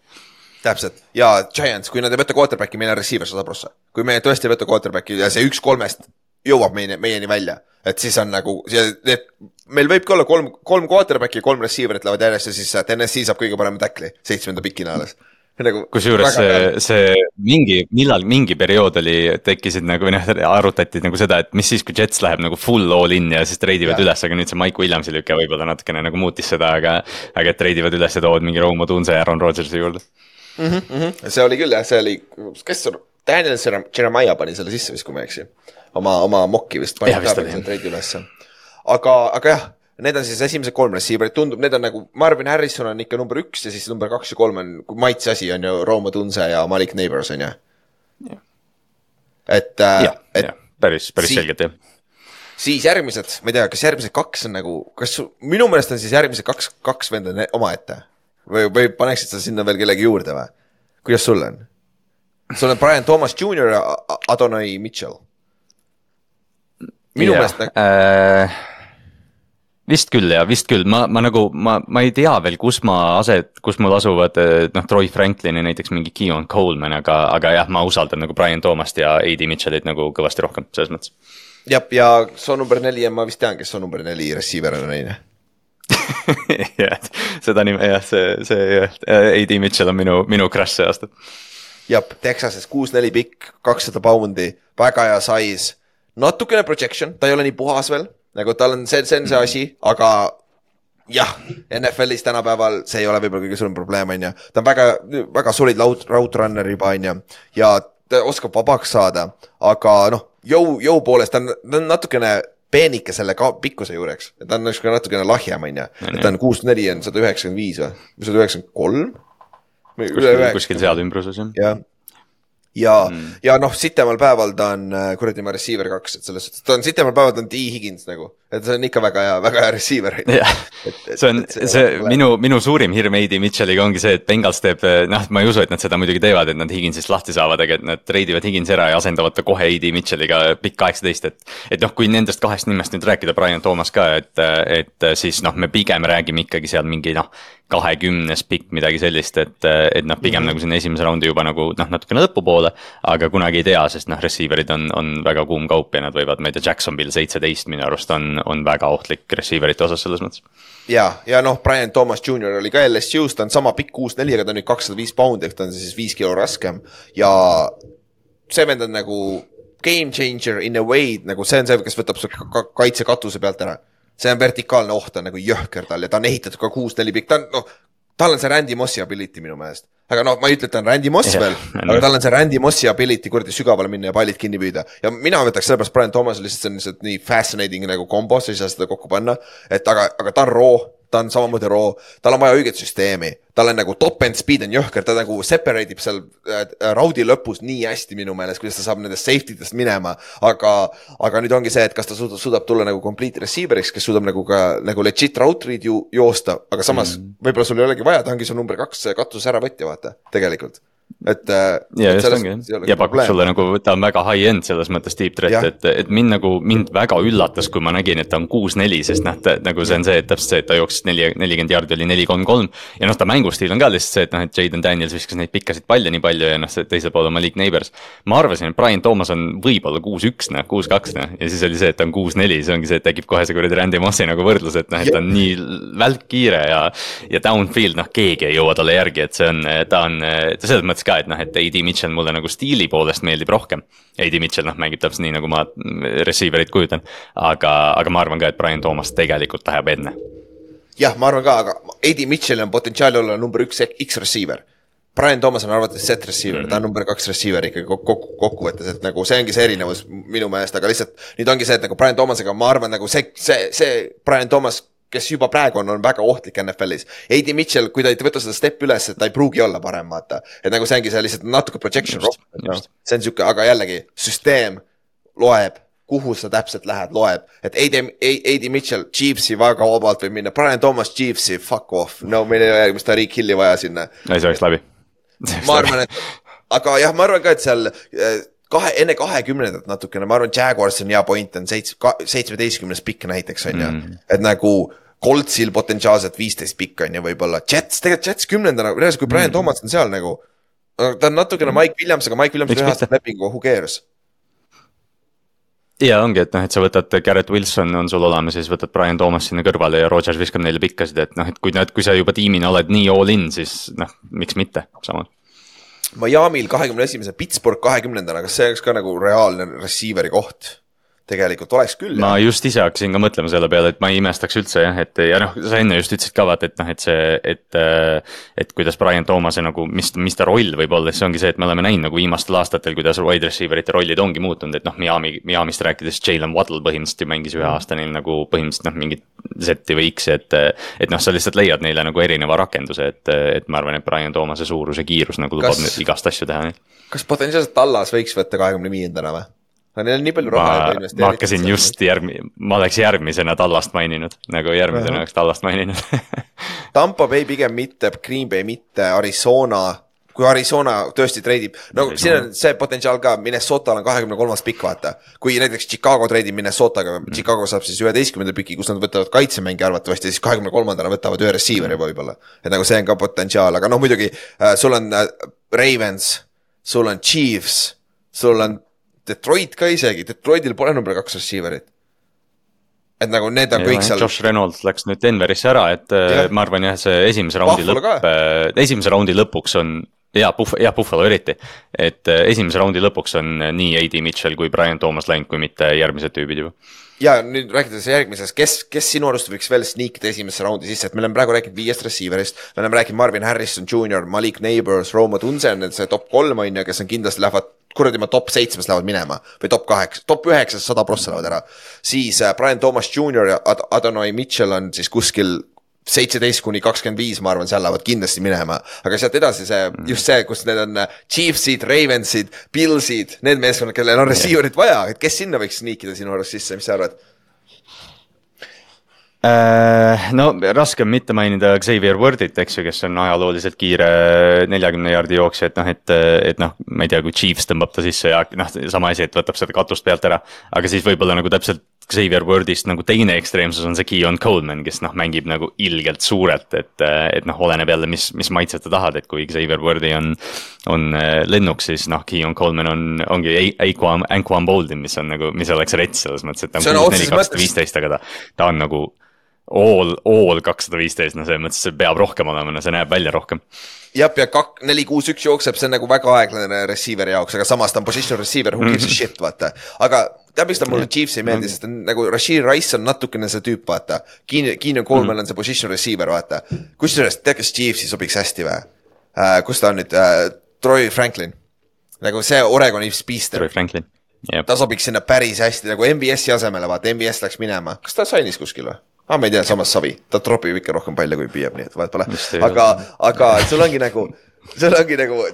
Täpselt, ja Giants, kui nad ei võtta quarterbacki, meil on receiver 100%. Kui me tõesti ei võtta quarterbacki ja see 1-3 jõuab meieni välja, et siis on nagu, meil võibki olla 3 quarterbacki ja 3 receiverit lähevad järjest ja siis Tennessee saab kõige parema tackli 7. pikina alles. Nagu kusjuures see mingi periood tekkisid nagu, arutati nagu seda, et mis siis, kui Jets läheb nagu full all in ja siis treidivad üles, aga nüüd see Mike Williamsi lüke võib-olla natukene nagu muutis seda, aga treidivad üles ja tood mingi Romo Tunse ja Aaron Rodgersi juurde. See oli küll jah, see oli, kes Daniel Jeremiah pani selle sisse vist, kui ma eksi. Oma mokki vist pani treidi üles. Aga jah, need on siis esimesed 3 receiverid, tundub, need on nagu Marvin Harrison on ikka number 1 ja siis number 2 ja 3 on, kui maitse asi on ju Romo Tunse ja Malik Neighbors on ju. Päris selgelt jah. Siis järgmised, ma ei tea, kas järgmised 2 on nagu, minu meelest on siis järgmised 2 venda oma ette või paneksid sa sinna veel kellegi juurde või? Kuidas sul on? Sul on Brian Thomas Jr. ja Adonai Mitchell. Minu meelest Vist küll, ma ei tea veel, kus mul asuvad Troy Franklin ja näiteks mingi Keon Coleman, aga jah, ma usaldan nagu Brian Thomast ja A.D. Mitchellit nagu kõvasti rohkem, selles mõttes. Ja see on number 4 ja ma vist tean, kes on number 4 receiver on neine. Seda nime, jah, see A.D. Mitchell on minu crush see aasta. Jab, Texases 6-4 pikk, 200 poundi, väga hea size, natukene projection, ta ei ole nii puhas veel, nagu tal on see asi, aga jah, NFL-is tänapäeval see ei ole võib-olla kõige suurem probleem, on ju. Ta on väga solid route runner juba, on ju, ja ta oskab vabaks saada, aga jõu poolest ta on natukene peenike selle pikkuse juureks. Ta on natukene lahjem, on ju. Et ta on 6'4 on 195 või 193? Kuskil seal ümbruses, jah. Ja noh, sitemal päeval ta on kuradi ma receiver 2, et selles suhtes, ta on sitemal päeval, ta on T. Higgins nagu, et see on ikka väga hea receiver. Minu suurim hirm A.D. Mitchelliga ongi see, et Bengals teeb, ma ei usu, et nad seda muidugi teevad, et nad Higginsist lahti saavad, aga et nad treidivad Higgins ära ja asendavad ta kohe A.D. Mitchelliga pikk 18, et noh, kui nendest kahest nimest nüüd rääkida, Brian Thomas ka, et siis noh, me pigem räägime ikkagi seal mingi 20 pikk midagi sellist, et noh, pigem nagu sinna esimese raundi juba nagu natukene lõpupoole, aga kunagi ei tea, sest noh, receiverid on väga kuum kaup ja nad võivad, ma ei tea, Jacksonville 17 minu arust on väga ohtlik receiverite osas selles mõttes. Ja noh, Brian Thomas Jr. oli ka LSU-s, ta on sama pikk 6'4, aga ta on nüüd 205 poundi, ehk ta on siis 5 kilo raskem ja see vend on nagu game changer in a way, nagu see on see, kes võtab kaitse katuse pealt ära. See on vertikaalne oht, on nagu jõhker tal ja ta on ehitatud ka 6'4 pikk, tal on see Randy Mossi ability minu meelest. Aga noh, ma ei ütle, et ta on Randy Moss veel, aga tal on see Randy Mossi ability kurdi sügavale minna ja pallid kinni püüda. Ja mina võtaks sellepärast Brian Thomas lihtsalt see on nii fascinating nagu kombo, sa ei saa seda kokku panna, et aga ta on raw, ta on samamoodi raw, tal on vaja õiget süsteemi, tal on nagu top end speed on jõhker, ta nagu separate'ib seal raudi lõpus nii hästi minu meelest, kuidas ta saab nendest safety'dest minema, aga nüüd ongi see, et kas ta suudab tulla nagu complete receiver'iks, kes suudab nagu ka nagu legit route read joosta, aga samas võib-olla sul ei olegi vaja, ta ongi su number 2 katus ära võtja, vaata, tegelikult. Ja pakub sulle nagu, ta on väga high-end selles mõttes deep threat, et mind väga üllatas, kui ma nägin, et ta on 6'4, sest nagu see on see, et täpselt see, et ta jooksis 40 jaardi oli 4'3 ja noh, ta mängustiil on ka lihtsalt see, et Jaden Daniels viskas neid pikkasid palle nii palju ja noh, teisel pool on Malik Neighbors. Ma arvasin, et Brian Thomas on võib-olla 6'1, 6'2 ja siis oli see, et ta on 6'4, see ongi see, et tekib kohe see kuradi Randy Mossi nagu võrdlus, et ta on nii välkkiire ja downfield, keegi ei jõua talle järgi, et ta on selles mõttes ka, et et A.D. Mitchell mulle nagu stiili poolest meeldib rohkem. A.D. Mitchell mängib täpselt nii, nagu ma receiverit kujutan, aga ma arvan ka, et Brian Thomas tegelikult läheb enne. Jah, ma arvan ka, aga A.D. Mitchell on potentsiaali olla number 1 X-receiver. Brian Thomas on arvates set receiver, ta on number 2 receiver ikkagi kokkuvõttes, et nagu see ongi see erinevus minu meelest, aga lihtsalt nüüd ongi see, et nagu Brian Thomasega ma arvan nagu see Brian Thomas, kes juba praegu on väga ohtlik NFL-is. A.D. Mitchell, kui ta ei võta seda step üles, et ta ei pruugi olla parem, vaata. Et nagu see ongi see lihtsalt natuke projection rock. See on siuke, aga jällegi, süsteem loeb, kuhu sa täpselt lähed, loeb. Et A.D. Mitchell, Chiefsi väga vabalt võib minna. Brian Thomas, Chiefsi, fuck off. No, meil ei ole, mis ta Rick Hilli vaja sinna. Ei, see oleks läbi. Ma arvan, et, aga jah, ma arvan ka, et seal enne 20 natukene, ma arvan, Jaguars on hea point, on 17 pikk näiteks, on ju. Et nagu Coltsil potentsiaalselt 15 pikk on ju võib-olla. Tegelikult Jets 10, kui Brian Thomas on seal nagu, ta on natukene Mike Williams, aga Mike Williams ühestab lepingu, who cares? Ja ongi, et sa võtad Garrett Wilson on sul olemas, siis võtad Brian Thomas sinna kõrvale ja Rodgers viskab neile pikkasid, et kui sa juba tiimina oled nii all in, siis miks mitte samal. Miami'l 21. Pittsburgh 20. Kas see oleks ka nagu reaalne receiveri koht? Tegelikult oleks küll. Ma just ise hakkasin ka mõtlema selle peale, et ma ei imestaks üldse jah, et ja sa enne just ütlesid ka vaat, et kuidas Brian Thomase nagu, mis ta roll võib olla, see ongi see, et me oleme näinud nagu viimastel aastatel, kuidas wide receiverite rollid ongi muutunud, et Miamist rääkides Jalen Waddle põhimõtteliselt mängis ühe aasta neil nagu põhimõtteliselt mingit Z või X, et sa lihtsalt leiad neile nagu erineva rakenduse, et ma arvan, et Brian Thomase suurus ja kiirus nagu lubab igast asju teha. Kas potentsiaalselt Tallas võiks võtta 25. või? Neil on nii palju raha. Ma hakkasin just ma oleks järgmisena Tallast maininud, nagu järgmisena oleks Tallast maininud. Tampa Bay pigem mitte, Green Bay mitte, Arizona, kui Arizona tõesti treidib, no siin on see potentsiaal ka, Minnesota on 23. pikk vaata, kui näiteks Chicago treidib Minnesotaga, Chicago saab siis 11. piki, kus nad võtavad kaitsemängi arvatavasti, siis 23. võtavad ühe receiveri võib-olla, et nagu see on ka potentsiaal, aga muidugi sul on Ravens, sul on Chiefs, sul on Detroit ka isegi, Detroitil pole number 2 receiverit. Et nagu need on kõik seal. Josh Reynolds läks nüüd Denverisse ära, et ma arvan jah, see esimese raundi lõpuks on Buffalo eriti, et esimese raundi lõpuks on nii A.D. Mitchell kui Brian Thomas läinud, kui mitte järgmised tüübid juba. Ja nüüd rääkides järgmises, kes sinu arust võiks veel sneakida esimesse raundi sisse, et me oleme praegu rääkinud 5 receiverist, me oleme rääkinud Marvin Harrison Jr., Malik Neighbors, Roma Tunzen, see top 3 on ja kes on kindlasti lähevad, kuradi ma top 7 lähevad minema või top 8, top 9 100% lähevad ära. Siis Brian Thomas Jr. ja Adonai Mitchell on siis kuskil 17-25, ma arvan, seal lähevad kindlasti minema, aga sealt edasi just see, kus need on Chiefsid, Ravensid, Billsid, need meeskonnad, kellel on receiverit vaja, et kes sinna võiks sneakida sinu arust sisse, mis sa arvad? No raske on mitte mainida Xavier Wordit, eks ju, kes on ajalooliselt kiire 40 jaardi jooksja, et noh, ma ei tea, kui Chiefs tõmbab ta sisse ja sama asi, et võtab seda katust pealt ära, aga siis võib-olla nagu täpselt Xavier Wordist nagu teine ekstreemsus on see Keon Coleman, kes noh, mängib nagu ilgelt suurelt, et noh, oleneb jälle, mis maitset ta tahad, et kui Xavier Wordi on lennuks, siis noh, Keon Coleman ongi Anquan Boldin, mis on nagu, mis oleks rets selles mõttes, et ta on 6-4-215, aga ta on nagu all 215, no selles mõttes see peab rohkem olema, no see näeb välja rohkem. Jab, ja 4-6-1 jookseb, see on nagu väga aeglane receiver jaoks, aga samas ta on position receiver, who gives a shit, vaata. Aga teab, miks ta mulle Chiefs ei meeldi, sest nagu Rashid Rice on natukene see tüüp, vaata. Keenan Coleman on see position receiver, vaata. Kusjuures, tead, kas Chiefsi sobiks hästi või? Kus ta on nüüd? Troy Franklin. Nagu see Oregoni spiister. Troy Franklin, jah. Ta sobiks sinna päris hästi, nagu MVS-i asemele, vaata, MVS läks minema. Kas ta sainis kuskil või? Ma ei tea, samas savi, ta tropib ikka rohkem palju kui püüab, nii et vahet pole, aga sul ongi nagu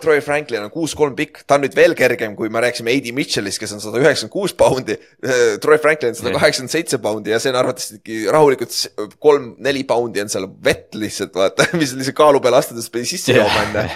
Troy Franklin on 6-3 pikk, ta on nüüd veel kergem, kui me rääksime A.D. Mitchellist, kes on 196 poundi, Troy Franklin on 187 poundi ja see on arvatavasti rahulikult 3-4 poundi on seal vett lihtsalt, vaata, mis lihtsalt kaalu peale astudes pidi sisse jooma enne.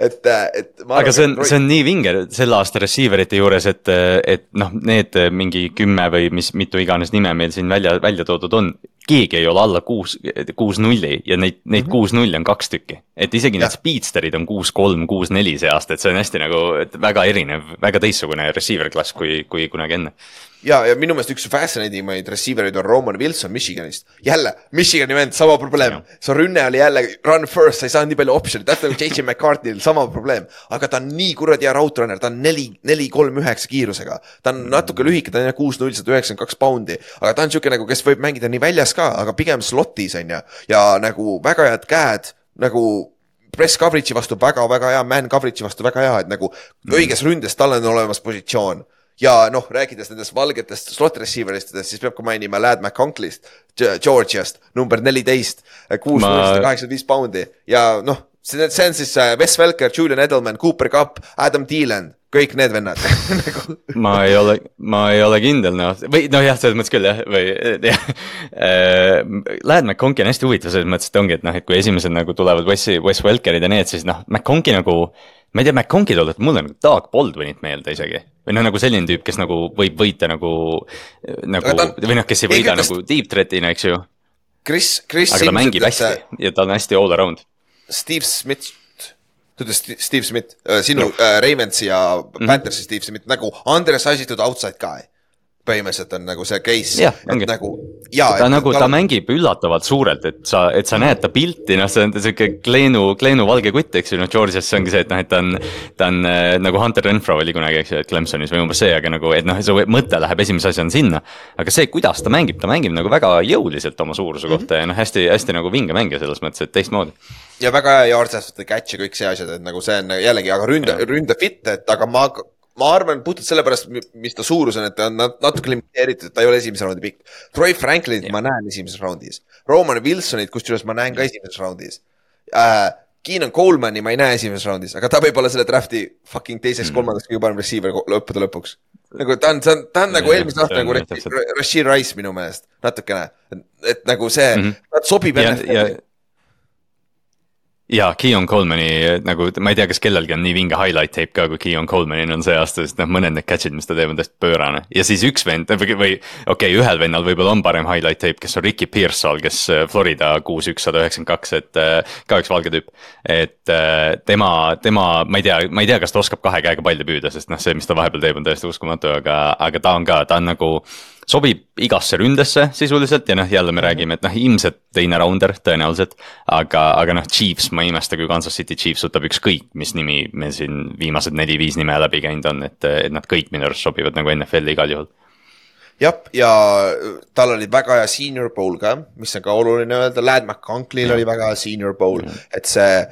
Aga see on nii vinge selle aasta receiverite juures, et noh, need mingi 10 või mitu iganes nime meil siin välja toodud on, keegi ei ole alla 6-0 ja neid 6-0 on 2 tükki. Et isegi need speedsterid on 6-3, 6-4 see aasta, et see on hästi nagu väga erinev, väga teistsugune receiver klass kui kunagi enne. Ja minu meelest üks fascinating receiverid on Roman Wilson Michiganist. Jälle, Michigani vend, sama probleem. See rünne oli jälle run first, sa ei saa nii palju optionit, tähtel J.J. McCarthy'l sama probleem. Aga ta on nii kuradi ja route-runner, ta on 4-3-9 kiirusega. Ta on natuke lühike, ta on 6-0, 192 poundi. Aga ta on siuke nagu, kes võib mängida nii väljas ka, aga pigem slotis on ja nagu väga head käed, nagu press coverage'i vastu väga hea, man coverage'i vastu väga hea, et nagu õiges ründes tal on olemas positsioon. Ja noh, rääkides nendest valgetest slot receiveristest, siis peab ka mainima Ladd McConklist, Georgiast, number 14, 6-85 poundi. Ja noh, see on siis Wes Welker, Julian Edelman, Cooper Cup, Adam Thielen, kõik need vennad. ma ei ole kindel, noh, või noh jah, selles mõttes küll jah, või Ladd McConkie on hästi huvitav selles mõttes, et ongi, et noh, et kui esimesed nagu tulevad Wes Welkerid ja need, siis noh, McConkie nagu, ma ei tea, McConkie tuleb, et mulle nagu Doug Baldwinit meelde isegi. Või noh, nagu selline tüüp, kes nagu võib võita nagu või noh, kes ei võida nagu deep threatina, eks ju. Aga ta mängib hästi ja ta on hästi all around. Steve Smith, sinu Ravensi ja Panthersi Steve Smith, nagu undersized outside guy. Põhimõtteliselt on nagu see case, et nagu ta mängib üllatavalt suurelt, et sa näed ta pilti, noh, see on selline Kleenu valge kutt, eks ju, noh, Georgias see ongi see, et noh, et ta on nagu Hunter Renfro oli kunagi, eks ju, et Clemsonis või umbes see, aga nagu, et noh, see mõte läheb esimese asjana sinna, aga see, kuidas ta mängib nagu väga jõuliselt oma suuruse kohta ja noh, hästi nagu vinge mängija selles mõttes, et teistmoodi. Ja väga hea jaartsast catch ja kõik see asjad, et nagu see on jällegi, aga ründa fit, et aga ma arvan puhtalt sellepärast, mis ta suurus on, et ta on natuke limiteeritud, et ta ei ole esimese raundi pikk. Troy Franklinit ma näen esimeses raundis. Roman Wilsonit, kusjuures ma näen ka esimeses raundis. Keenan Colemani ma ei näe esimeses raundis, aga ta võib olla selle drafti fucking teiseks, kolmandaks kõige parem receiver lõppude lõpuks. Nagu ta on nagu eelmise aasta nagu Rashid Rice minu meelest, natukene. Et nagu see, ta sobib enne. Ja Keon Colemani, nagu ma ei tea, kas kellelgi on nii vinge highlight tape ka, kui Keon Colemanil on see aasta, sest mõned need catch'id, mis ta teeb, on tõesti pöörane. Ja siis üks vend, või okei, ühel vennal võib-olla on parem highlight tape, kes on Ricky Pearsall, kes Florida 6-1-192, et ka üks valge tüüp. Et tema, ma ei tea, kas ta oskab 2 käega palli püüda, sest noh, see, mis ta vahepeal teeb, on täiesti uskumatu, aga ta on nagu sobib igasse ründesse sisuliselt ja noh, jälle me räägime, et noh, ilmselt teine rounder tõenäoliselt, aga noh, Chiefs, ma ei imesta, kui Kansas City Chiefs võtab ükskõik, mis nimi me siin viimased 4-5 nime läbi käinud on, et nad kõik minu arust sobivad nagu NFL-i igal juhul. Jah, ja tal oli väga hea senior bowl ka, mis on ka oluline öelda, Ladd McConklil oli väga hea senior bowl, et see,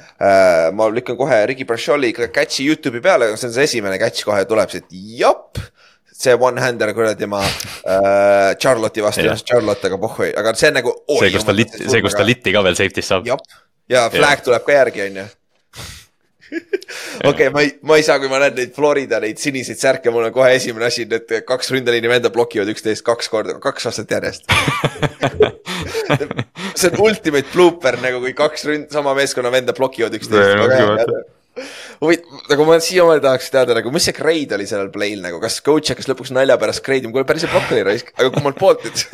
ma lükkan kohe Ricky Brasholi catch'i YouTube'i peale, see on see esimene catch kohe tuleb, see, et jop, see one-hander kuradi ma Charlotte'i vastu, Charlotte, aga pohhui, aga see on nagu see, kus ta litti ka veel safety's saab. Ja flag tuleb ka järgi, on ju. Okei, ma ei saa, kui ma näen neid Florida, neid siniseid särke, mul on kohe esimene asi, need 2 ründeliini venda blokivad 11 2 aastat järjest. See on ultimate blooper, nagu kui 2 sama meeskonna venda blokivad 11. Nagu ma siiamaani tahaks teada, nagu mis see grade oli sellel play'l, nagu kas coach hakkas lõpuks nalja pärast grade, kui päris blokk oli raisk, aga kui mul poolt nüüd.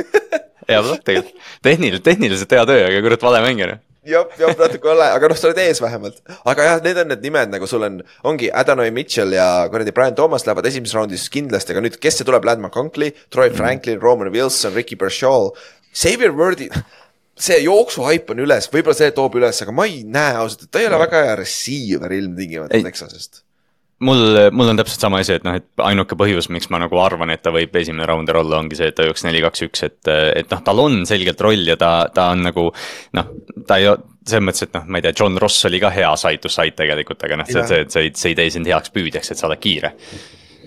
Hea blokk tegelikult, tehniliselt hea töö, aga kurat vale mängina. Jah, natuke ole, aga noh, sa oled ees vähemalt. Aga jah, need on need nimed, nagu sul ongi Adonai Mitchell ja Brian Thomas lähevad esimeses raundis kindlasti, aga nüüd, kes see tuleb, Ladd McConkey, Troy Franklin, Roman Wilson, Ricky Brashol, Xavier Worthy, see jooksuhaip on üles, võib-olla see toob üles, aga ma ei näe ausalt, et ta ei ole väga hea receiver ilmtingimata Texasest. Mul on täpselt sama asi, et noh, et ainuke põhjus, miks ma nagu arvan, et ta võib esimene rounder olla, ongi see, et ta jooks 4-2-1, et noh, tal on selgelt roll ja ta on nagu, noh, ta ei selles mõttes, et noh, ma ei tea, John Ross oli ka hea side to side tegelikult, aga noh, see ei tee sind heaks püüdjaks, et sa oled kiire.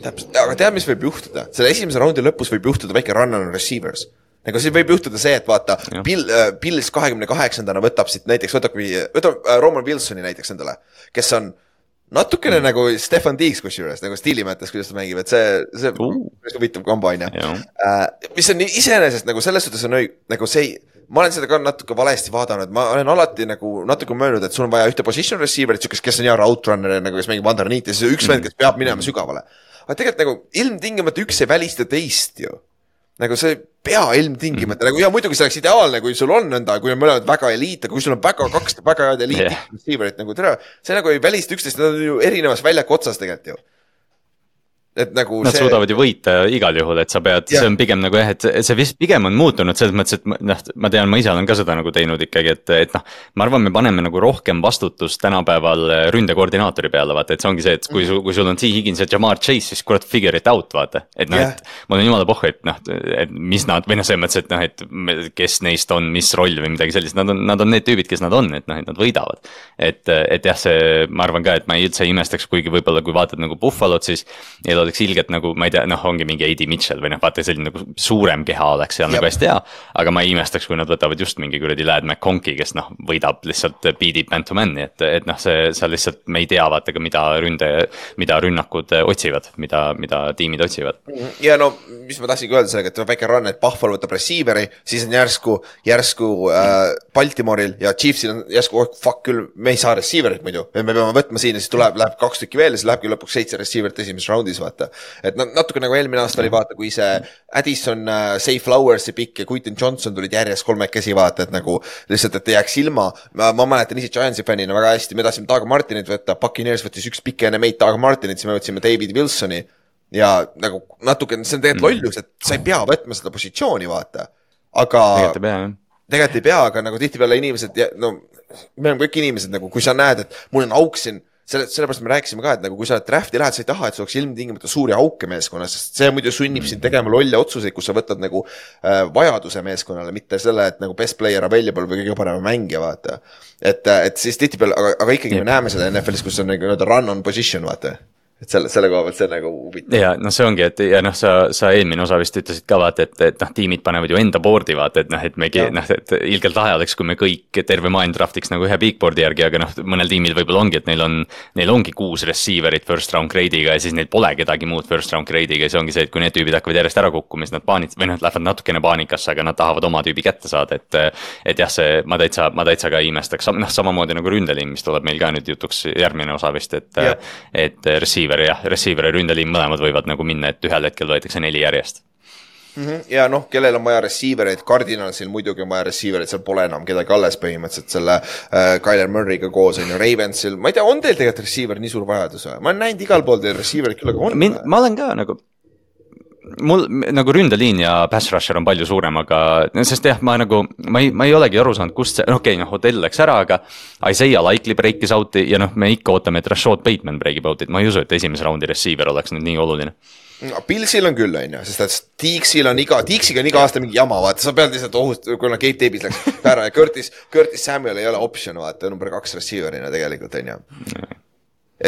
Täpselt, aga tead, mis võib juhtuda? Selle esimese raundi lõpus võib juhtuda väike run on receivers. Nagu see võib juhtuda see, et vaata, Bills 28-ndana võtab siit näiteks, võtab Roman Wilsoni näiteks endale, kes on natukene nagu Stefan Diggs kusjuures, nagu stiili mõttes, kuidas ta mängib, et see huvitav kombo on ja. Mis on iseenesest nagu selles suhtes on nagu see, ma olen seda ka natuke valesti vaadanud, ma olen alati nagu natuke möönud, et sul on vaja ühte position receiverit, kes on hea route runner, nagu kes mängib underneath ja siis üks vend, kes peab minema sügavale. Aga tegelikult nagu ilmtingimata üks ei välista teist ju. Nagu see pea ilmtingimata, nagu ja muidugi see oleks ideaalne, kui sul on nõnda, kui on mõlemad väga eliit, aga kui sul on kaks väga head eliit receiverit, nagu tere, see nagu ei välista üksteist, nad on ju erinevas väljaku otsas tegelikult ju. Et nagu nad suudavad ju võita igal juhul, et sa pead, see on pigem nagu et see vist pigem on muutunud selles mõttes, et noh, ma tean, ma ise olen ka seda nagu teinud ikkagi, et noh, ma arvan, me paneme nagu rohkem vastutust tänapäeval ründekoordinaatori peale, vaata, et see ongi see, et kui sul on T. Higgins ja Jamar Chase, siis kurat figure it out, vaata, et noh, et ma olen jumala pohhu, et noh, et mis nad, või noh, selles mõttes, et noh, et kes neist on, mis roll või midagi sellist, nad on need tüübid, kes nad on, et noh, et nad võidavad. Et jah, see, ma arvan ka, et ma üldse imestaks, kuigi võib-olla kui vaatad nagu Buffalot, siis oleks ilgelt nagu, ma ei tea, noh, ongi mingi A.D. Mitchell või noh, vaata selline nagu suurem keha oleks seal nagu hästi hea, aga ma ei imestaks, kui nad võtavad just mingi kuradi Ladd McConkey, kes noh, võidab lihtsalt beatib man to man'i, et noh, see lihtsalt, me ei tea vaata ka mida rünnakud otsivad, mida tiimid otsivad. Ja no, mis ma tahtsingi öelda sellega, et väike run, et Buffalo võtab receiveri, siis on järsku Baltimore'il ja Chiefsil on järsku, fuck küll, me ei saa receiverit muidu, me peame võtma siin ja siis läheb 2 tükki veel ja siis lähebki lõpuks 7 receiverit esimeses raundis, vaata. Et natuke nagu eelmine aasta oli vaata, kui see Addison, Say Flowersi pikk ja Quentin Johnson tulid järjest 3 käsi vaata, et nagu lihtsalt, et ei jääks ilma. Ma mäletan ise Giantsi fännina väga hästi, me tahtsime Doug Martinit võtta, Buccaneers võttis üks pikk enne meid Doug Martinit, siis me võtsime David Wilsoni ja nagu natuke, see on tegelikult lollus, et sa ei pea võtma seda positsiooni vaata, aga tegelikult ei pea, aga nagu tihtipeale inimesed, no me oleme kõik inimesed nagu, kui sa näed, et mul on auk siin, sellepärast me rääkisime ka, et nagu kui sa drafti lähed, sa ei taha, et sa oleks ilmtingimata suuri auke meeskonnas, sest see muidu sunnib sind tegema lolle otsuseid, kus sa võtad nagu vajaduse meeskonnale, mitte selle, et nagu best player available või kõige parema mängija, vaata. Et siis tihtipeale, aga ikkagi me näeme seda NFL-is, kus on nagu run on position, vaata. Et selle koha pealt see nagu huvitav. Ja noh, see ongi, et ja noh, sa eelmine osa vist ütlesid ka vaata, et noh, tiimid panevad ju enda boardi vaata, et noh, et megi, noh, et ilgelt lahe oleks, kui me kõik terve maailm draftiks nagu ühe big boardi järgi, aga noh, mõnel tiimil võib-olla ongi, et neil ongi 6 receiverit first round grade'iga ja siis neil pole kedagi muud first round grade'iga ja see ongi see, et kui need tüübid hakkavad järjest ära kukkuma, siis nad või noh, lähevad natukene paanikasse, aga nad tahavad oma tüübi kätte saada, et jah, see, ma täitsa ka imestaks, noh, samamoodi nagu ründeliin, mis tuleb meil ka nüüd jutuks järgmine osa vist, et receiver ja ründeliin mõlemad võivad nagu minna, et ühel hetkel võetakse 4 järjest. Ja noh, kellel on vaja receivereid, Cardinalsil muidugi on vaja receivereid, seal pole enam kedagi alles põhimõtteliselt selle Kyler Murray'ga koos on ju Ravensil, ma ei tea, on teil tegelikult receiver nii suur vajadus või? Ma olen näinud igal pool teil receiverid küll, aga on? Ma olen ka nagu, mul nagu ründeliin ja pass rusher on palju suurem, aga sest jah, ma ei olegi aru saanud, kust see, okei, Odell läks ära, aga Isaiah Likely breakis out'i ja me ikka ootame, et Rashad Bateman breakib out'it, ma ei usu, et esimese raundi receiver oleks nüüd nii oluline. Pilsil on küll, on ju, sest et Tiiksiga on iga aasta mingi jama, vaata, sa pead lihtsalt ohust, kuna Gabe Davis läks ära ja Curtis Samuel ei ole option, vaata, number 2 receiverina tegelikult, on ju.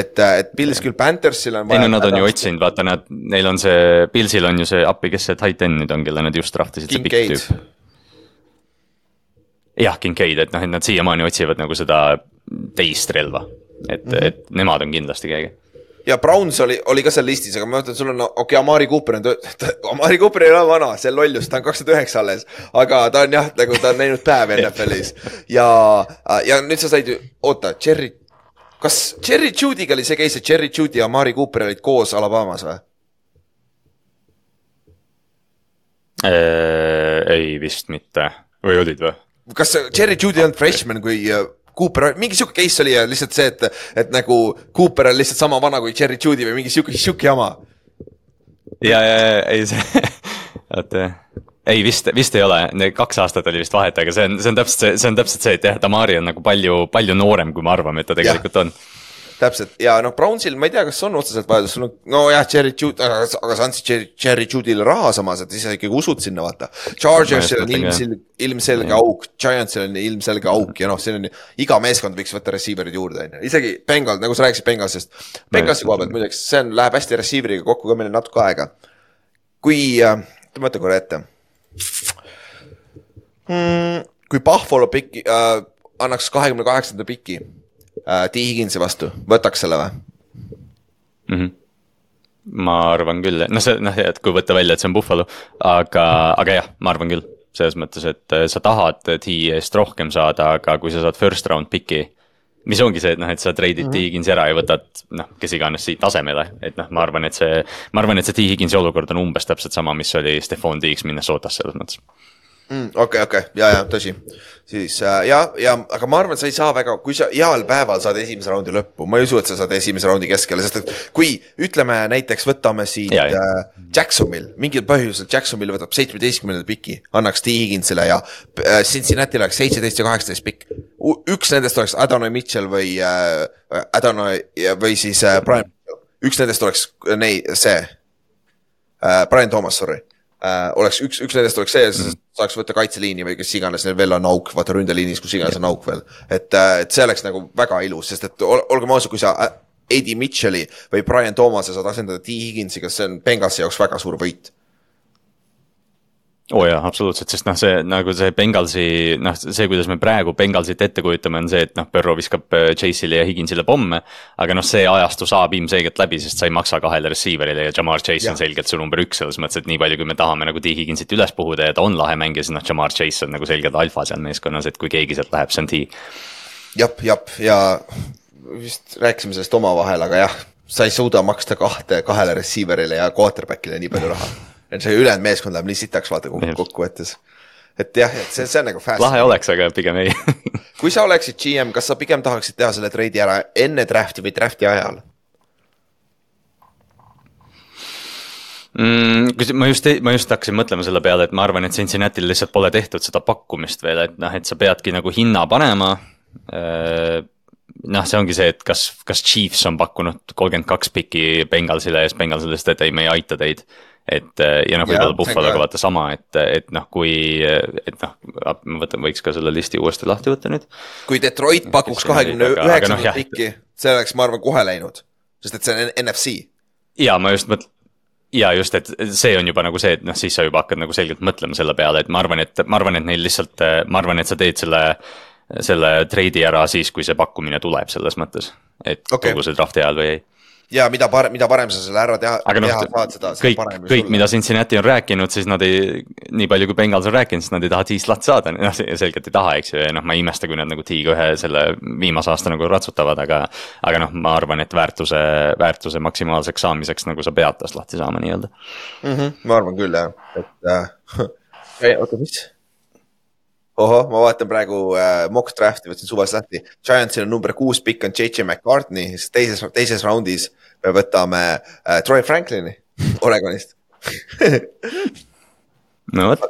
Et Pils küll Panthersil on vaja... Nad on ju otsinud, vaata, neil on see, Pilsil on ju see appi, kes see tight end nüüd on, kelle nad just draftisid, see pikk tüüp. Jah, Kincaid, et nad siiamaani otsivad nagu seda teist relva, et nemad on kindlasti keegi. Ja Browns oli ka seal listis, aga ma mõtlen, sul on, Amari Cooper ei ole vana, see lollus, ta on 29 alles, aga ta on jah, nagu ta on näinud päev NFL-is. Ja nüüd sa said ju, oota, kas Jerry Judy'ga oli see case, et Jerry Judy ja Amari Cooper olid koos Alabamas või? Ei vist mitte, või olid või? Kas Jerry Judy on freshman, kui... Cooper, mingi siuke case oli ja lihtsalt see, et nagu Cooper on lihtsalt sama vana kui Jerry Judy või mingi siuke jama. Ja, ei see, ei vist ei ole, 2 aastat oli vist vahet, aga see on täpselt see, et jah, Tamari on nagu palju noorem, kui me arvame, et ta tegelikult on. Täpselt, ja Brownsil, ma ei tea, kas on otseselt vajadus, no jah, Jerry Judy, aga sa andsid Jerry Judy'le raha samas, et ise ikkagi usud sinna, vaata. Chargersil on ilmselge auk, Giantsil on ilmselge auk ja see on, iga meeskond võiks võtta receiverid juurde, isegi Bengal, nagu sa rääkisid Bengalsist. Bengalsi koha pealt, muideks, see läheb hästi receiveriga kokku ka meile natuke aega. Kui, mõtle korra ette. Kui Buffalo piki, annaks 28. piki, T. Higginsi vastu, võtaks selle või? Ma arvan küll, et kui võtta välja, et see on Buffalo, aga jah, ma arvan küll, selles mõttes, et sa tahad T. eest rohkem saada, aga kui sa saad first round piki, mis ongi see, et sa treidid T. Higginsi ära ja võtad, kes iganes siit tasemele, et ma arvan, et see T. Higginsi olukord on umbes täpselt sama, mis oli Stephon Diggs Minnesotas selles mõttes. Okei, ja, tõsi. Siis, aga ma arvan, et sa ei saa väga, kui sa heal päeval saad esimese raundi lõppu, ma ei usu, et sa saad esimese raundi keskele, sest et kui, ütleme näiteks, võtame siit Jacksonville, mingil põhjusel Jacksonville võtab 17. piki, annaks T. Higginsile ja Cincinnati oleks 17 ja 18 pikk. Üks nendest oleks Adonai Mitchell või siis Brian, üks nendest oleks Brian Thomas, sorry. Üks nendest oleks see, saaks võtta kaitseliini või kes iganes, neil veel on auk, vaata ründeliinis, kus iganes on auk veel. Et see oleks nagu väga ilus, sest et olgem ausad, kui sa A.D. Mitchelli või Brian Thomase saad asendada T. Higginsiga, see on Bengalsi jaoks väga suur võit. Jaa, absoluutselt, sest see nagu see Bengalsi, see kuidas me praegu Bengalsit ette kujutame on see, et Burrow viskab Chase'ile ja Higginsile pomme, aga see ajastu saab ilmselgelt läbi, sest sa ei maksa 2 receiverile ja Jamar Chase on selgelt su number 1 selles mõttes, et nii palju, kui me tahame nagu T. Higginsit üles puhuda ja ta on lahe mängija, siis Jamar Chase on nagu selgelt alfa seal meeskonnas, et kui keegi sealt läheb, see on T. Jap, ja vist rääkisime sellest omavahel, aga jah, sa ei suuda maksta 2 receiverile ja quarterbackile nii palju raha. Et see ülejäänud meeskond läheb nii sitaks vaata kokku võttes. Et jah, et see on nagu fast. Lahe oleks, aga pigem ei. Kui sa oleksid GM, kas sa pigem tahaksid teha selle treidi ära enne drafti või drafti ajal? Ma just hakkasin mõtlema selle peale, et ma arvan, et Cincinnati'l lihtsalt pole tehtud seda pakkumist veel, et sa peadki nagu hinna panema. See ongi see, et kas Chiefs on pakkunud 32 piki Bengalsile ja Bengalsile, et ei, me ei aita teid. Ja võib-olla Buffaloga vaata sama, et võiks ka selle listi uuesti lahti võtta nüüd. Kui Detroit pakuks 29 pikki, see oleks, ma arvan, kohe läinud, sest et see on NFC. Ja ma just mõtlen, ja just, et see on juba nagu see, et siis sa juba hakkad nagu selgelt mõtlema selle peale, et ma arvan, et neil lihtsalt, ma arvan, et sa teed selle treidi ära siis, kui see pakkumine tuleb selles mõttes, et kogu see drafti ajal või ei. Ja mida parem sa selle ära teha saad seda parem. Kõik, mida Cincinnati on rääkinud, siis nad ei, nii palju kui Bengals on rääkinud, siis nad ei taha T-slat saada, selgelt ei taha, eks ju, ja ma ei imesta, kui nad nagu T-ga ühe selle viimase aasta nagu ratsutavad, aga ma arvan, et väärtuse maksimaalseks saamiseks nagu sa pead tast lahti saama nii-öelda. Ma arvan küll, jah, et oota, mis? Ma vaatan praegu mock drafti, võtsin suvas lahti. Giantsil on number 6 pikk on J.J. McCartney, teises raundis me võtame Troy Franklini Oregonist. no vot.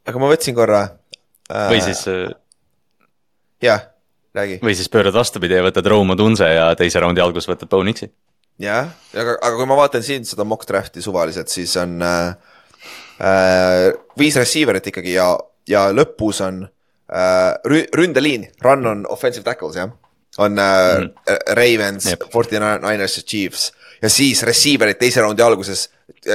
aga ma võtsin korra või siis jah, räägi. Või siis pöörad vastupidi ja võtad Rome Odunze ja teise raundi algus võtad Bo Nixi. jah, aga kui ma vaatan siin seda mock drafti suvaliselt, siis on 5 receiverit ikkagi ja lõpus on ründeliin, run on offensive tackles, jah. On Ravens, 49ers ja Chiefs ja siis receiverid teise raundi alguses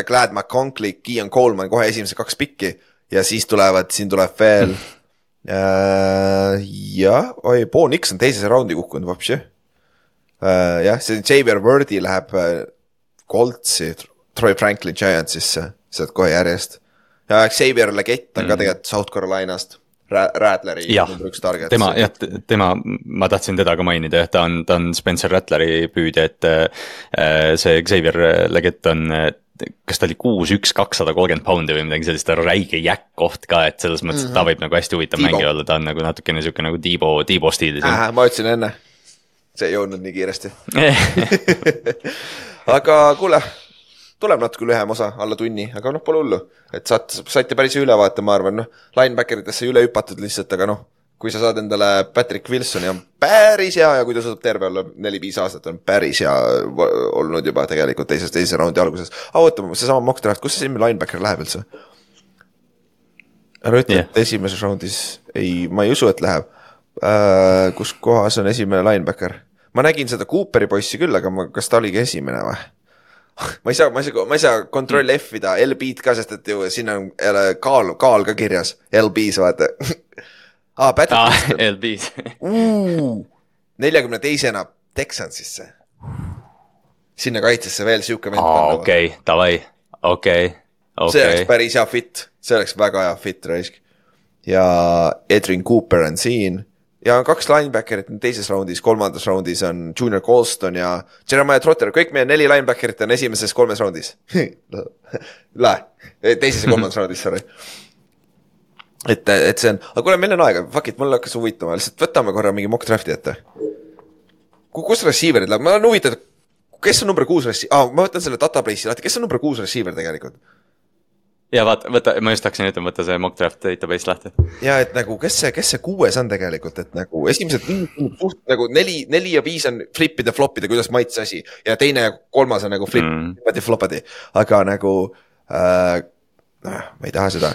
Glad McConkey, Keon Coleman kohe esimese 2 pikki ja siis siin tuleb veel jah, Bo Nix on teises raundi kukkunud vapsi. Jah, see Xavier Worthy läheb Coltsi, Troy Franklin Giantsisse, sealt kohe järjest. Ja Xavier Legett on ka tegelikult South Carolinast, Rattleri number 1 target. Tema, ma tahtsin teda ka mainida, ta on Spencer Rattleri püüdja, et see Xavier Legett on, kas ta oli 6'1", 230 poundi või midagi sellist, ta on räige jäkkoht ka, et selles mõttes, et ta võib nagu hästi huvitav mängija olla, ta on nagu natukene siuke nagu Debo stiilis. Ma ütlesin enne, see ei jõudnud nii kiiresti. Aga kuule, tuleb natuke lühem osa, alla tunni, aga pole hullu, et saite päris ülevaate, ma arvan, linebackeritesse üle hüpatud lihtsalt, aga kui sa saad endale Patrick Wilsoni on päris hea ja kui ta suudab terve olla 4-5 aastat on päris hea olnud juba tegelikult teise raundi alguses. Ootame, see sama mock draft, kus see siin linebacker läheb üldse? Ära ütle, et esimeses raundis, ma ei usu, et läheb. Kus kohas on esimene linebacker? Ma nägin seda Cooperi poissi küll, aga kas ta oligi esimene või? Ma ei saa kontroll F-ida, LB-d ka, sest et ju siin on kaal ka kirjas, LB-s vaata. LB-s 42-na Texansisse. Sinna kaitsesse veel siuke vend. Okei, davai, okei. See oleks päris hea fit, see oleks väga hea fit raisk. Ja Edwin Cooper on siin. Ja on 2 linebackerit teises raundis, 3. raundis on Junior Colston ja Jeremiah Trotter. Kõik meie 4 linebackerit on esimeses 3. raundis. Teises ja 3. raundis, sorry. Et see on, aga kuule, meil on aega, fuck it, mul hakkas huvitama, lihtsalt võtame korra mingi mock drafti ette. Kus receiverid läheb? Ma olen huvitatud, kes on number 6 receiver? Ma võtan selle database'i lahti, kes on number 6 receiver tegelikult? Ja võta, ma just hakkasin ütlema, võtta see mock draft database lahti. Ja et nagu, kes see 6 on tegelikult, et nagu esimesed nagu 4 ja 5 on flippida, floppida, kuidas maitse asi ja teine ja 3 on nagu floppadi, aga nagu ma ei taha seda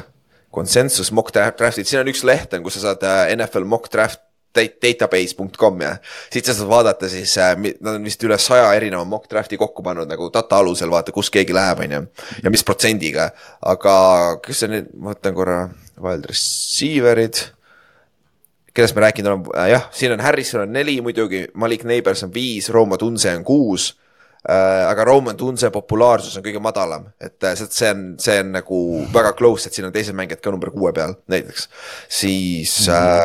konsensus mock draftid, siin on üks leht, kus sa saad NFL mock draft database.com ja siit sa saad vaadata siis, nad on vist üle 100 erineva mock drafti kokku pannud nagu data alusel, vaata kus keegi läheb ja mis protsendiga, aga kes see nüüd, ma võtan korra wild receiverid, kellest me rääkinud oleme, jah, siin on Harrison on 4 muidugi, Malik Neighbors on 5, Rome Odunze on 6, aga Rome Odunze populaarsus on kõige madalam, et see on nagu väga close, et siin on teised mängijad ka number 6 peal näiteks, siis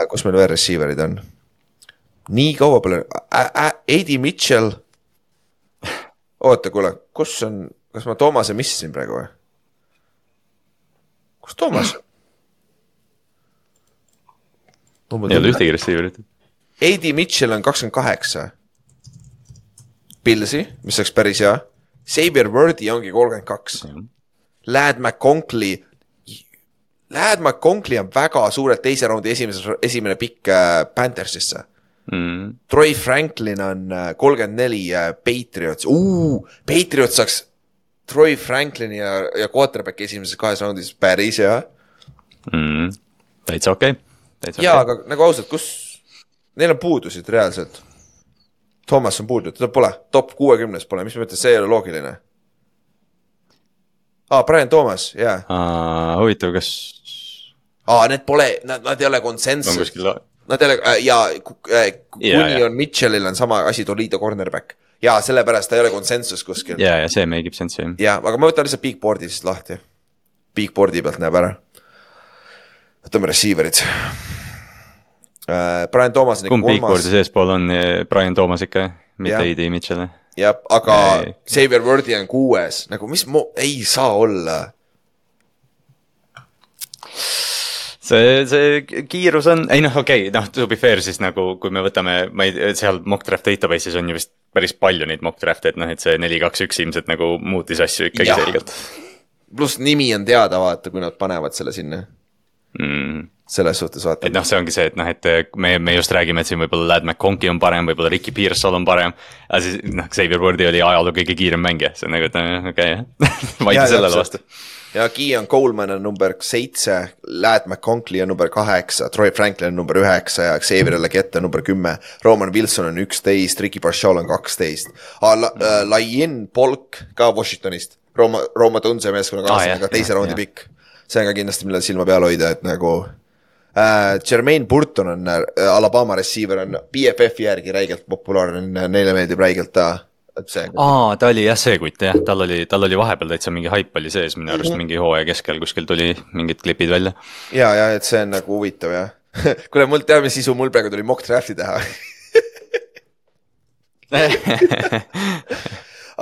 kus meil veel receiverid on? Nii kaua pole A.D. Mitchell oota, kuule, kus on, kas ma Toomase missisin praegu või? Kus Toomas? Ei ole ühtegi receiverit. A.D. Mitchell on 28 Pillsi, mis oleks päris hea. Xavier Worthy ongi 32. Ladd McConkey on väga suurelt teise raundi esimene pikk Panthersisse. Troy Franklin on 34 Patriots. Patriots saaks Troy Franklini ja quarterback esimeses 2 raundis päris hea. Täitsa okei. Jaa, aga nagu ausalt, kus neil on puudusid reaalselt? Thomas on puudu, teda pole, top 60 pole, mis mõttes, see ei ole loogiline. Brian Thomas, jah. Huvitav, kas... Need pole, nad ei ole konsensus. Nad ei ole, ja kuni on Mitchellil on sama asi Toledo cornerback. Ja sellepärast ta ei ole konsensus kuskil. Ja see meigib sensi. Ja, aga ma võtan lihtsalt Bigboardi siis lahti. Bigboardi pealt näeb ära. Võtame receiverid. Brian Thomas on kumb Bigboardi seespool on Brian Thomas ikka, mitte A.D. Mitchell. Jah, aga Xavier Worthy on 6. Nagu mis ei saa olla. See kiirus on, okei, to be fair siis nagu, kui me võtame, seal mock draft database'is on ju vist päris palju neid mock draft'e, et see 4-2-1 ilmselt nagu muutis asju ikkagi selgelt. pluss nimi on teada, vaata, kui nad panevad selle sinna selles suhtes vaata. Et noh, see ongi see, et noh, et me just räägime, et siin võib-olla Ladd McConkey on parem, võib-olla Ricky Pearsall on parem. Aga siis noh, Xavier Worthy oli ajaloo kõige kiirem mängija, see on nagu, et okei, vaid sellele vastu. Ja Keon Coleman on number 7, Ladd McConkey on number 8, Troy Franklin on number 9 ja Xavier Legette on number 10, Roman Wilson on 11, Ricky Parshall on 12. Laien Polk ka Washingtonist, Roma Tunse meeskonna kaasa, aga teise raundi pikk. See on ka kindlasti, millele silma peal hoida, et nagu Jermaine Burton on Alabama receiver, on BFF järgi räigelt populaarne, neile meeldib räigelt ta oli jah see kutt jah, tal oli vahepeal täitsa mingi hype oli sees, minu arust mingi hooaja keskel kuskil tuli mingid klipid välja. Ja, et see on nagu huvitav jah. Kuule, mul teab, mis sisu mul praegu tuli mock drafti teha.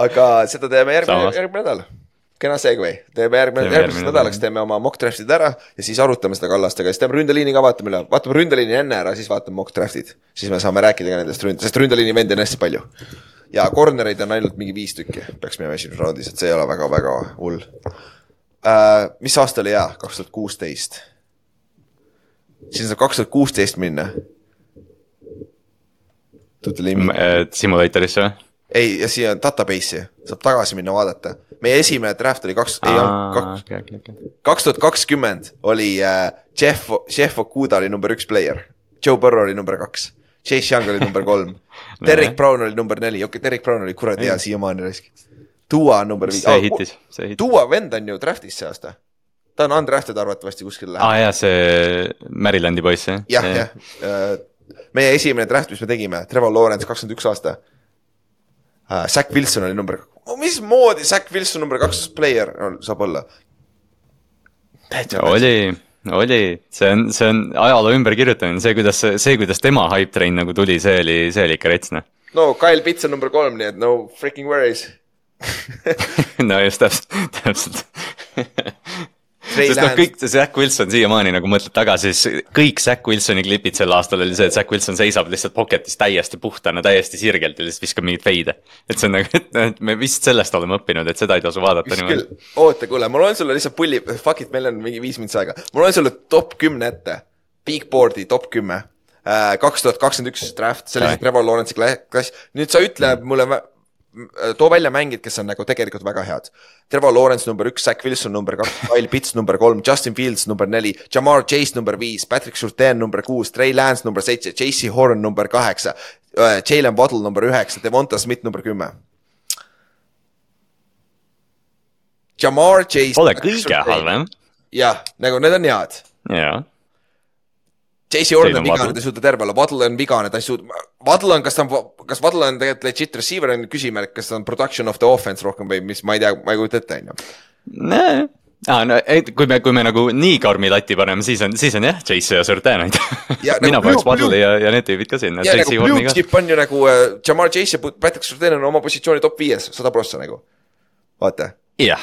Aga seda teeme järgmine nädal. Kena segway. Teeme järgmine nädalaks, teeme oma mock draftid ära ja siis arutame seda kallastega. Siis teeme ründeliini ka, vaatame ründeliini enne ära, siis vaatame mock draftid. Siis me saame rääkida ka nendest sest ründeliini vendi on hästi palju. Ja cornereid on ainult mingi 5 tükki, peaks minema esimese raundis, et see ei ole väga hull. Mis aasta oli hea? 2016. Siin saab 2016 minna. Simulatorisse või? Ei, ja siia on database'i, saab tagasi minna vaadata. Meie esimene draft oli 2020 oli Jeff Okuda oli number 1 player, Joe Burrow oli number 2. Chase Young oli number 3. Derek Brown oli number 4. Okei, Derek Brown oli kuradi hea siiamaani risk. Tua number 5. See hitis. Tua vend on ju draftis see aasta. Ta on undrafted arvatavasti kuskil läheb. Jaa, see Marylandi poiss. Jah. Meie esimene draft, mis me tegime, Trevor Lawrence 21 aasta. Zach Wilson oli number 2. Mis moodi Zach Wilson number 2 player saab olla? Oli, see on ajaloo ümber kirjutamine, see kuidas tema hype train nagu tuli, see oli ikka retsne. No, Kyle Pitts on number 3, nii et no freaking worries. No just täpselt. Sest noh, kõik see Zach Wilson siiamaani nagu mõtled tagasi, siis kõik Zach Wilsoni klipid sel aastal oli see, et Zach Wilson seisab lihtsalt pocketis täiesti puhtana, täiesti sirgelt ja lihtsalt viskab mingit feide. Et see on nagu, et me vist sellest oleme õppinud, et seda ei tasu vaadata. Oota, kuule, ma loen sulle lihtsalt pulli, fuck it, meil on mingi 5 minutit aega. Ma loen sulle top 10 ette, Big Boardi top 10, 2021 draft, see oli Trevor Lawrence'i klass. Nüüd sa ütle mulle, too välja mängid, kes on nagu tegelikult väga head. Trevor Lawrence number 1, Zach Wilson number 2, Kyle Pitts number 3, Justin Fields number 4, Jamar Chase number 5, Patrick Surtain number 6, Trey Lance number 7, JC Horn number 8, Jalen Waddle number 9, Devonta Smith number 10. Jamar Chase pole kõige halvem. Jah, nagu need on head. Jaa. JC Horn on vigane, ta ei suuda terve olla, Waddle on vigane, ta ei suuda, Waddle on, kas Waddle on tegelikult legit receiver on küsimärk, kas ta on production of the offense rohkem või mis, ma ei tea, ma ei kujuta ette, on ju. No, kui me nagu nii karmi lati paneme, siis on jah, Chase ja Surtain. Mina paneks Waddle ja need tüübid ka sinna. Ja nagu blue chip on ju nagu Jamar Chase ja Patrick Surtain on oma positsiooni top 5, 100% nagu. Vaata. Ja,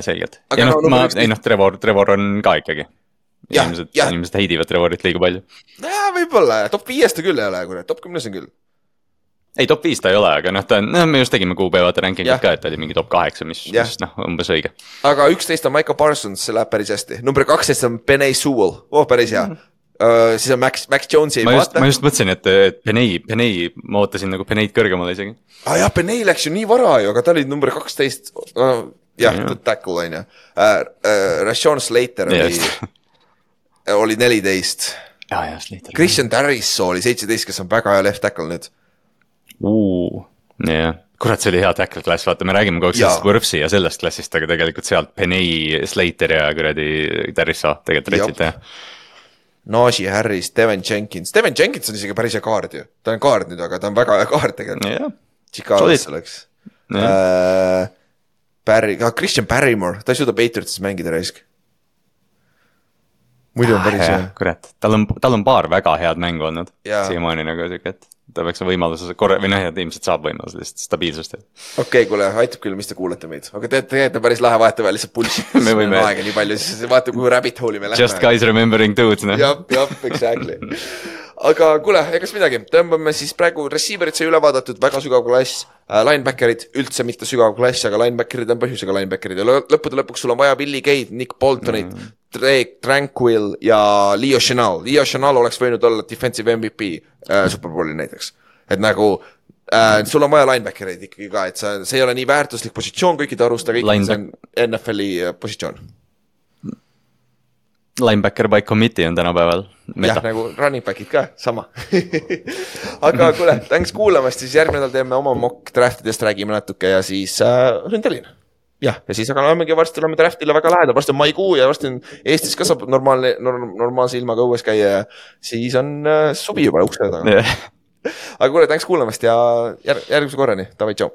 selgelt. Ja Trevor on ka ikkagi. Inimesed heidivad Trevorit liiga palju. Võib-olla, top 5 ta küll ei ole, top 10 on küll. Ei, top 5 ta ei ole, aga me just tegime kuupäevata rankingud ka, et oli mingi top 8, mis umbes õige. Aga 11 on Michael Parsons, see läheb päris hästi. Number 12 on Penei Sewell, päris hea. Siis on Max Jonesi ei vaata. Ma just mõtlesin, et Penei, ma ootasin nagu Peneid kõrgemale isegi. Jah, Penei läks ju nii vara ju, aga ta oli number 12. Jah, tackle on ju. Rashawn Slater oli 14. Slater. Christian Darrisaw oli 17, kes on väga hea left tackle nüüd. Kurat, see oli hea tackle klass, vaata, me räägime kogu sellest Võrfsi ja sellest klassist, aga tegelikult sealt Penei, Slater ja kuradi Darrisaw tegelikult retsid teha. Najee Harris, Devin Jenkins on isegi päris hea kaard ju, ta on kaard nüüd, aga ta on väga hea kaard tegelikult. Chicago's oleks. Christian Barrymore, ta ei suuda Patriotsis mängida raisk. Muidu on päris hea. Kurat, tal on paar väga head mängu olnud. Siiamaani nagu siuke, et ta peaks võimaluse või ilmselt saab võimaluse lihtsalt stabiilsust. Okei, kuule, aitab küll, mis te kuulete meid. Aga teete päris lahe vahetevahel lihtsalt bullshit. Me võime aega nii palju, siis vaata, kui rabbit hole'i me lähme. Just guys remembering dudes, Jah, exactly. aga kuule, egas midagi, tõmbame siis praegu receiver'id sai üle vaadatud, väga sügav klass, linebackerid üldse mitte sügav klass, aga linebackerid on põhjusega linebackerid ja lõppude lõpuks sul on vaja Willie Gate, Nick Boltonit, Drake Tranquil ja Leo Chenal. Leo Chenal oleks võinud olla defensive MVP Superbowli näiteks, et nagu sul on vaja linebackereid ikkagi ka, et see ei ole nii väärtuslik positsioon kõikide arust, aga ikkagi see on NFL-i positsioon. Linebacker by committee on tänapäeval meta. Jah, nagu running backid ka, sama. Aga kuule, thanks kuulamast, siis järgmine nädal teeme oma mock draftidest, räägime natuke ja siis ründelin. Jah, ja siis aga varsti oleme draftile väga lähedal, varsti on maikuu ja varsti on Eestis ka saab normaalse ilmaga õues käia ja siis on suvi juba ukse taga. Aga kuule, thanks kuulamast ja järgmise korrani, davai, tšau.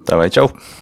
Davai, tšau.